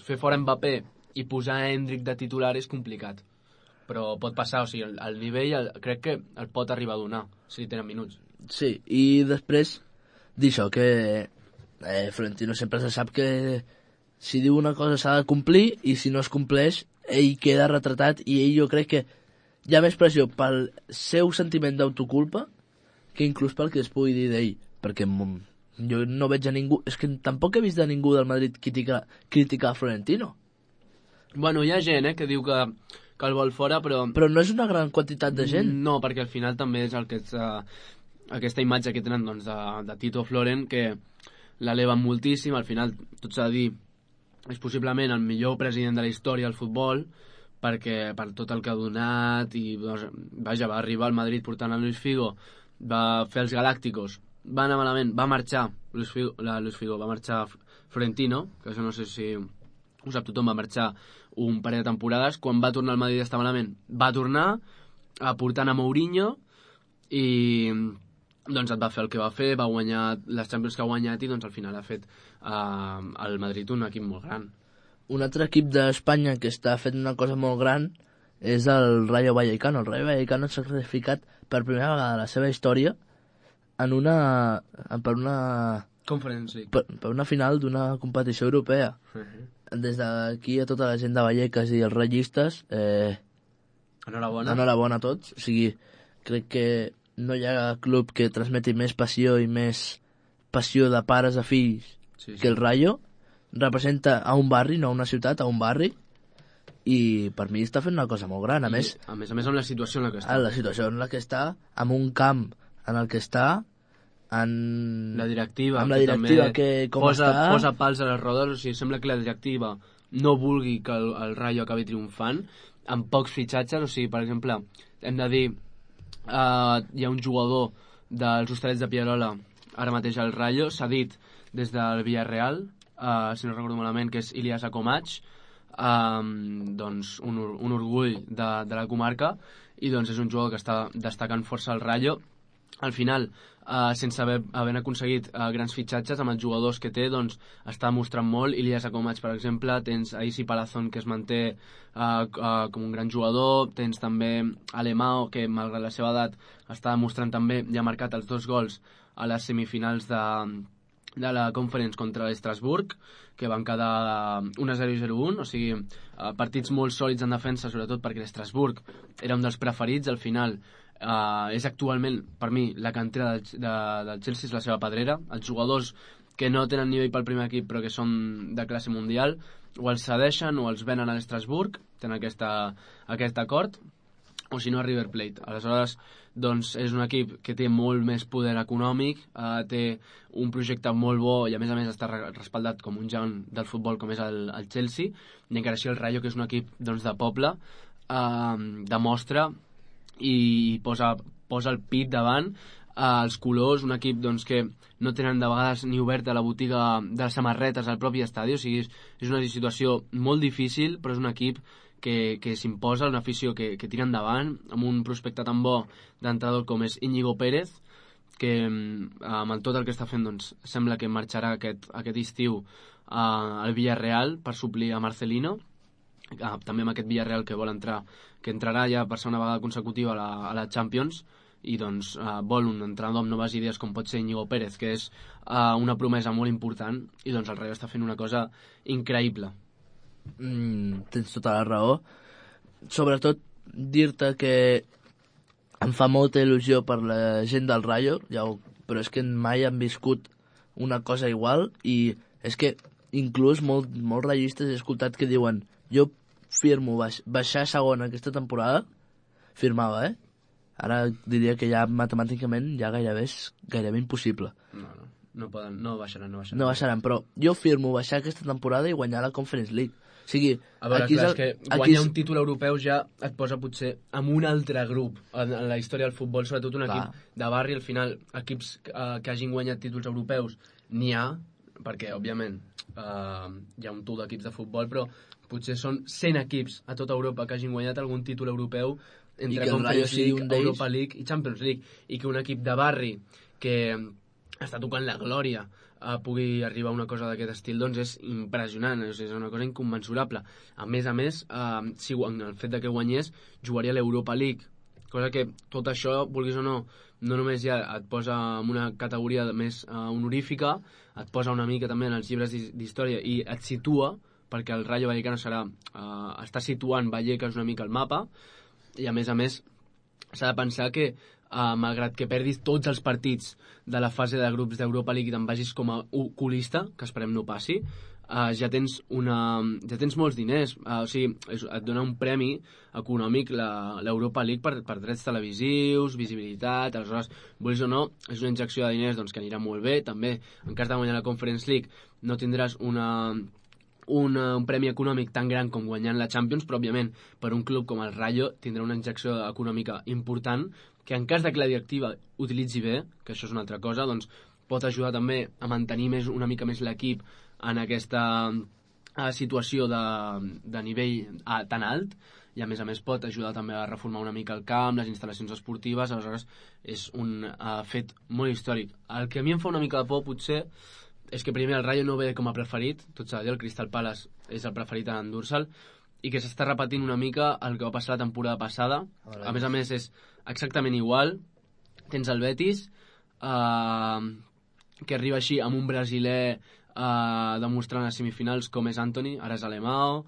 fer fora Mbappé i posar Endrick de titular és complicat, però pot passar. O sigui, el nivell crec que el pot arribar a donar si tenen minuts. Sí, i després d'això que Florentino sempre se sap que si diu una cosa s'ha de complir, i si no es compleix ell queda retratat, i ell, jo crec que hi ha més pressió pel seu sentiment d'autoculpa que inclús pel que es pugui dir d'ell, perquè jo no veig a ningú, és que tampoc he vist a ningú del Madrid criticar Florentino. Bueno, hi ha gent que diu que el vol fora, però no és una gran quantitat de gent. No, perquè al final també és el que és aquesta imatge que tenen doncs, de Tito Floren, que l'eleven moltíssim. Al final, tot s'ha de dir, és possiblement el millor president de la història del futbol, perquè per tot el que ha donat, i doncs, vaja, va arribar al Madrid portant a Luis Figo, va fer els Galácticos, va anar malament, va marxar Luis Figo, va marxar Florentino, que això no sé si ho sap tothom, va marxar un parell de temporades. Quan va tornar al Madrid està malament, va tornar portant a Mourinho, i doncs et va fer el que va fer, va guanyar les Champions que ha guanyat, i doncs al final ha fet al Madrid un equip molt gran. Un altre equip d'Espanya que està fent una cosa molt gran és el Rayo Vallecano. El Rayo Vallecano s'ha classificat per primera vegada a la seva història per una final d'una competició europea. Des d'aquí a tota la gent de Vallecas i els rayistes, enhorabona a tots. O sigui, crec que no hi ha club que transmeti més passió i més passió de pares a fills que el Rayo. Representa a un barri, no a una ciutat, a un barri, i per mi està fent una cosa molt gran. A més amb la situació en la que està. La situació en la que està, amb un camp en el que està, amb la directiva que com posa pals a les rodes. O sigui, sembla que la directiva no vulgui que el Rayo acabi triomfant amb pocs fitxatges. O sigui, per exemple, hem de dir hi ha un jugador dels Hostalets de Pierola ara mateix al Rayo, s'ha dit des del Villarreal, si no recordo malament, que és Ilias Akomach, doncs un orgull de la comarca, i doncs és un jugador que està destacant força al Rayo. Al final, sense haver aconseguit grans fitxatges, amb els jugadors que té, doncs està mostrant molt. Ilias Akomach, per exemple, tens a Isi Palazón, que es manté com un gran jugador, tens també Alemao, que malgrat la seva edat està demostrant també, ja ha marcat els 2 gols a les semifinals de la Conference contra l'Estrasburg, que van quedar 1-0 i 0-1, o sigui, partits molt sòlids en defensa, sobretot perquè l'Estrasburg era un dels preferits. Al final és actualment, per mi, la cantera del Chelsea és la seva pedrera. Els jugadors que no tenen nivell pel primer equip però que són de classe mundial, o els cedeixen o els venen a l'Estrasburg, tenen aquest acord. o si no a River Plate. Aleshores, doncs, és un equip que té molt més poder econòmic, té un projecte molt bo i a més està respaldat com un gegant del futbol com és el Chelsea, i encara així el Rayo, que és un equip doncs, de poble, demostra i posa el pit davant, els colors, un equip doncs, que no tenen de vegades ni oberta la botiga de les samarretes al propi estadi, o sigui, és una situació molt difícil, però és un equip que s'imposa, una afició que tira endavant, amb un prospecte tan bo d'entrenador com és Íñigo Pérez, que amb tot el que està fent doncs, sembla que marxarà aquest estiu al Villarreal per suplir a Marcelino, també amb aquest Villarreal que vol entrar, que entrarà ja per segona vegada consecutiva a la Champions, i doncs vol un entrenador amb noves idees com pot ser Íñigo Pérez, que és una promesa molt important, i doncs el Rayo està fent una cosa increïble. Tens tota la raó. Sobretot dir-te que em fa molta il·lusió per la gent del Rayo, però és que mai han viscut una cosa igual, i és que inclús molts rayistes he escoltat que diuen jo firmo baixar segona aquesta temporada, firmava, Ara diria que ja matemàticament ja gairebé és gairebé impossible. No baixaran. No baixaran, però jo firmo baixar aquesta temporada i guanyar la Conference League. O sigui, a veure, és que guanyar un títol europeu ja et posa potser en un altre grup en la història del futbol, sobretot un equip de barri. Al final, equips que hagin guanyat títols europeus n'hi ha, perquè, òbviament, hi ha un tour d'equips de futbol, però potser són 100 equips a tota Europa que hagin guanyat algun títol europeu entre Conference League, Europa League i Champions League, i que un equip de barri que està tocant la glòria pugui arribar a una cosa d'aquest estil, doncs és impressionant, és una cosa inconmensurable. A més, si el fet de que guanyés, jugaria a l'Europa League, cosa que tot això, vulguis o no només ja et posa en una categoria més honorífica, et posa una mica també en els llibres d'història i et situa, perquè el Rayo Vallecano està situant Vallecas una mica al mapa, i a més s'ha de pensar que malgrat que perdis tots els partits de la fase de grups d'Europa League i te'n vagis com a colista, que esperem no passi, ja tens molts diners, o sigui, et dona un premi econòmic l'Europa League per drets televisius, visibilitat. Aleshores, vols o no, és una injecció de diners doncs, que anirà molt bé. També, en cas de guanyar la Conference League, no tindràs un premi econòmic tan gran com guanyant la Champions, però òbviament per un club com el Rayo tindrà una injecció econòmica important que en cas de que la directiva utilitzi bé, que això és una altra cosa, doncs pot ajudar també a mantenir una mica més l'equip en aquesta situació de nivell tan alt, i a més pot ajudar també a reformar una mica el camp, les instal·lacions esportives. Aleshores és un fet molt històric. El que a mi em fa una mica de por potser és que primer el Rayo no ve com a preferit, tot s'ha de dir, el Crystal Palace és el preferit en endur-se'l, i que s'està repetint una mica el que va passar la temporada passada. A més és exactament igual. Tens el Betis, que arriba així amb un brasiler demostrant a semifinals com és Antony, ara és Alemão.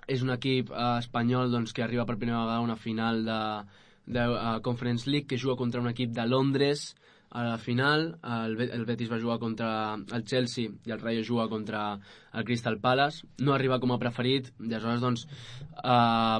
És un equip espanyol doncs, que arriba per primera vegada a una final de Conference League, que juga contra un equip de Londres. A la final, el Betis va jugar contra el Chelsea i el Rayo juga contra el Crystal Palace. No arriba com a preferit, i aleshores doncs,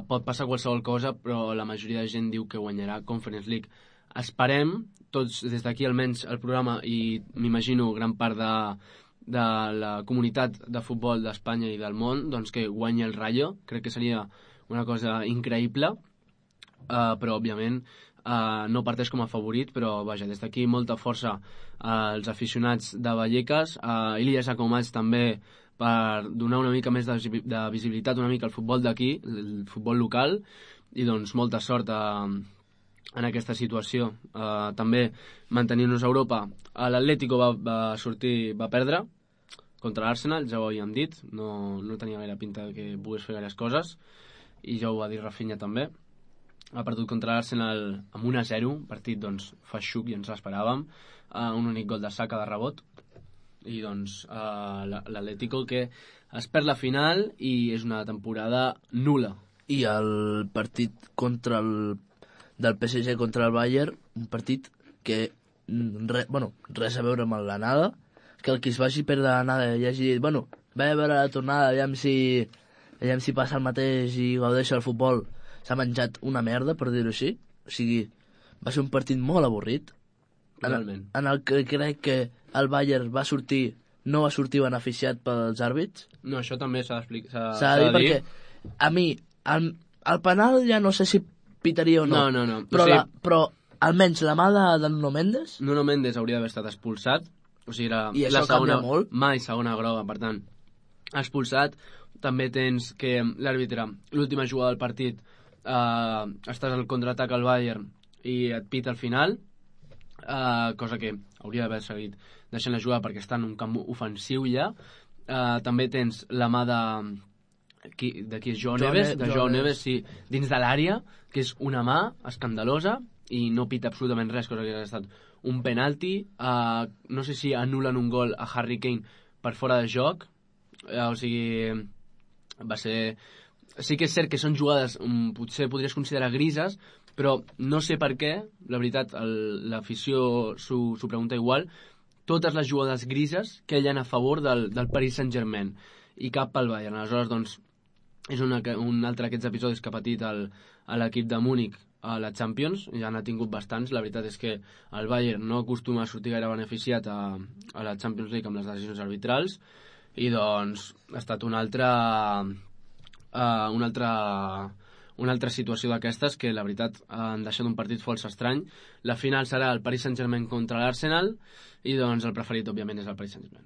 pot passar qualsevol cosa, però la majoria de gent diu que guanyarà Conference League. Esperem, tots des d'aquí almenys el programa, i m'imagino gran part de la comunitat de futbol d'Espanya i del món, doncs que guanyi el Rayo. Crec que seria una cosa increïble, però òbviament no parteix com a favorit, però vaja, des d'aquí molta força als aficionats de Vallecas, a Ilya Sacomats també, per donar una mica més de visibilitat una mica al futbol d'aquí, el futbol local, i doncs molta sort en aquesta situació. També mantenint-nos a Europa, l'Atlético va perdre contra l'Arsenal, ja ho havíem dit, no tenia gaire pinta que pogués fer gaires coses, i ja ho va dir Rafinha també. Ha perdut contra l'Arsenal amb 1-0, partit doncs feixuc i ens l'esperàvem, un únic gol de Saka de rebot, i doncs l'Atlético que es perd la final i és una temporada nul·la. I el partit del PSG contra el Bayern, un partit que res a veure amb l'anada, que el que es vagi perdre l'anada i hagi dit, va a veure la tornada, aviam si passa el mateix i gaudeixo del futbol. s'ha menjat una merda, per dir-ho així. O sigui, va ser un partit molt avorrit. Totalment. En el que crec que el Bayern no va sortir beneficiat pels àrbits. No, això també s'ha d'explicar. S'ha de dir perquè a mi el penal ja no sé si pitaria o no. No. Però almenys la mà de Nuno Mendes... Nuno Mendes hauria d'haver estat expulsat. O sigui, I això canvia molt. Mai segona groga, per tant. Expulsat. També tens que l'àrbitre, l'última jugada del partit, estàs al contraatac al Bayern i et pita al final, cosa que hauria d'haver seguit deixant la jugada perquè està en un camp ofensiu ja. També tens la mà de qui és Joao Neves, sí, dins de l'àrea, que és una mà escandalosa i no pita absolutament res, cosa que ha estat un penalti. No sé si anulen un gol a Harry Kane per fora de joc, o sigui, va ser... Sí que és cert que són jugades, potser podries considerar grises, però no sé per què, la veritat, l'afició s'ho pregunta igual, totes les jugades grises que hi ha a favor del Paris Saint-Germain i cap pel Bayern. Aleshores, doncs, és un altre d'aquests episodis que ha patit l'equip de Múnich a la Champions, ja n'ha tingut bastants. La veritat és que el Bayern no acostuma a sortir gaire beneficiat a la Champions League amb les decisions arbitrals, i doncs ha estat una altra situació d'aquestes que la veritat han deixat un partit força estrany. La final serà el Paris Saint-Germain contra l'Arsenal i doncs el preferit òbviament és el Paris Saint-Germain.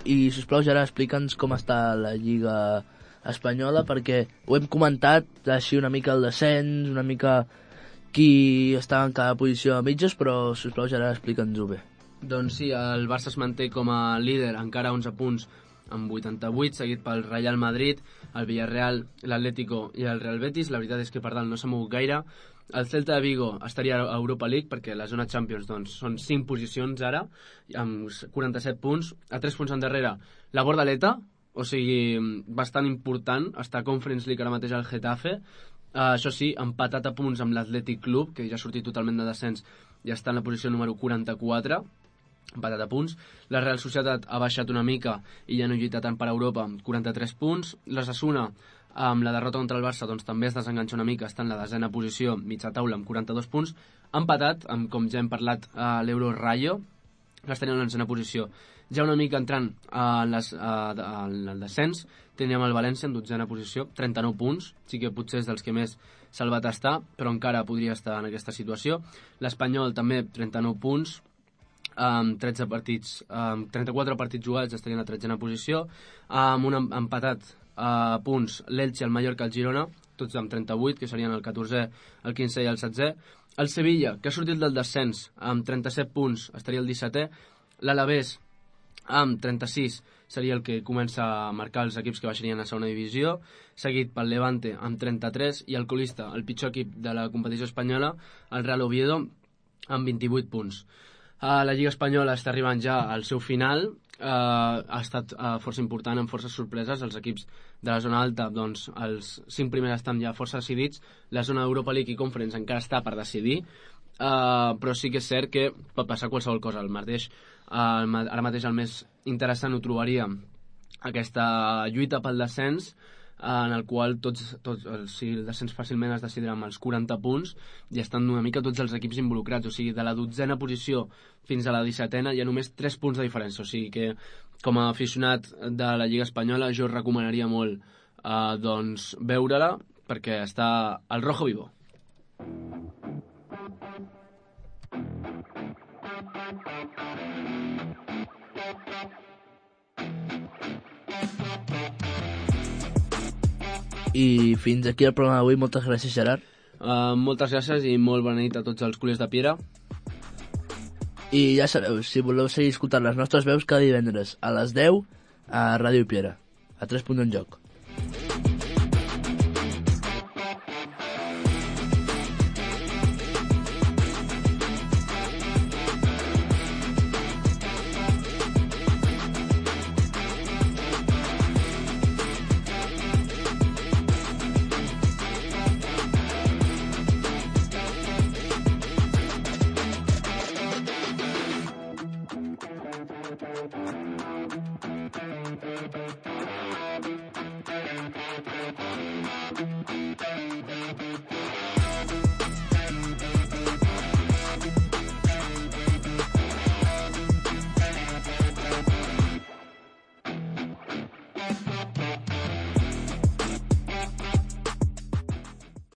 I, sisplau, Gerard, explica'ns com està la Lliga espanyola, perquè ho hem comentat així una mica el descens, una mica qui està en cada posició a mitges, però, sisplau, Gerard, explica'ns-ho bé. Doncs sí, el Barça es manté com a líder, encara 11 punts amb 88, seguit pel Real Madrid, el Villarreal, l'Atlético i el Real Betis. La veritat és que per dalt no s'ha mogut gaire. El Celta de Vigo estaria a Europa League perquè la zona Champions doncs, són 5 posicions ara, amb 47 punts. A 3 punts endarrere la Bordaleta, o sigui, bastant important. Està a Conference League ara mateix al Getafe. Això sí, empatat a punts amb l'Athletic Club, que ja ha sortit totalment de descens i està en la posició número 44, empatat a punts. La Real Societat ha baixat una mica i ja no lluita tant per Europa, amb 43 punts. L'Osasuna, amb la derrota contra el Barça, doncs també es desenganxa una mica, està en la desena posició, mitja taula, amb 42 punts. Empatat, amb, com ja hem parlat, l'Euro Rayo, que està en la desena posició. Ja una mica entrant en el descens, teníem el València en 12a posició, 39 punts, sí que potser és dels que més salvat està, però encara podria estar en aquesta situació. L'Espanyol també 39 punts, amb 13 partits, 34 partits jugats, estarien a 13a posició, amb un empatat a punts l'Elche, el Mallorca, el Girona, tots amb 38, que serien el 14è, el 15è i el 16è. El Sevilla, que ha sortit del descens, amb 37 punts, estaria el 17è. L'Alavés, amb 36, seria el que comença a marcar els equips que baixarien a segona divisió, seguit pel Levante amb 33, i el colista, el pitjor equip de la competició espanyola, el Real Oviedo, amb 28 punts. La Lliga Espanyola està arribant ja al seu final, ha estat força important, amb forces sorpreses. Els equips de la zona alta, doncs els 5 primers estan ja força decidits, la zona Europa League i Conference encara està per decidir, però sí que és cert que pot passar qualsevol cosa. Ara mateix el més interessant ho trobaria aquesta lluita pel descens, en el qual el descens fàcilment es decidirà amb els 40 punts i estan una mica tots els equips involucrats. O sigui, de la 12a posició fins a la 17a hi ha només 3 punts de diferència. O sigui que, com a aficionat de la Lliga Espanyola, jo recomanaria molt doncs, veure-la, perquè està al rojo vivo. I fins aquí el programa d'avui. Moltes gràcies, Gerard. Moltes gràcies i molt bona nit a tots els culers de Piera. I ja sabeu, si voleu seguir escoltant les nostres veus cada divendres a les 10 a Ràdio Piera, a 3 punts en joc.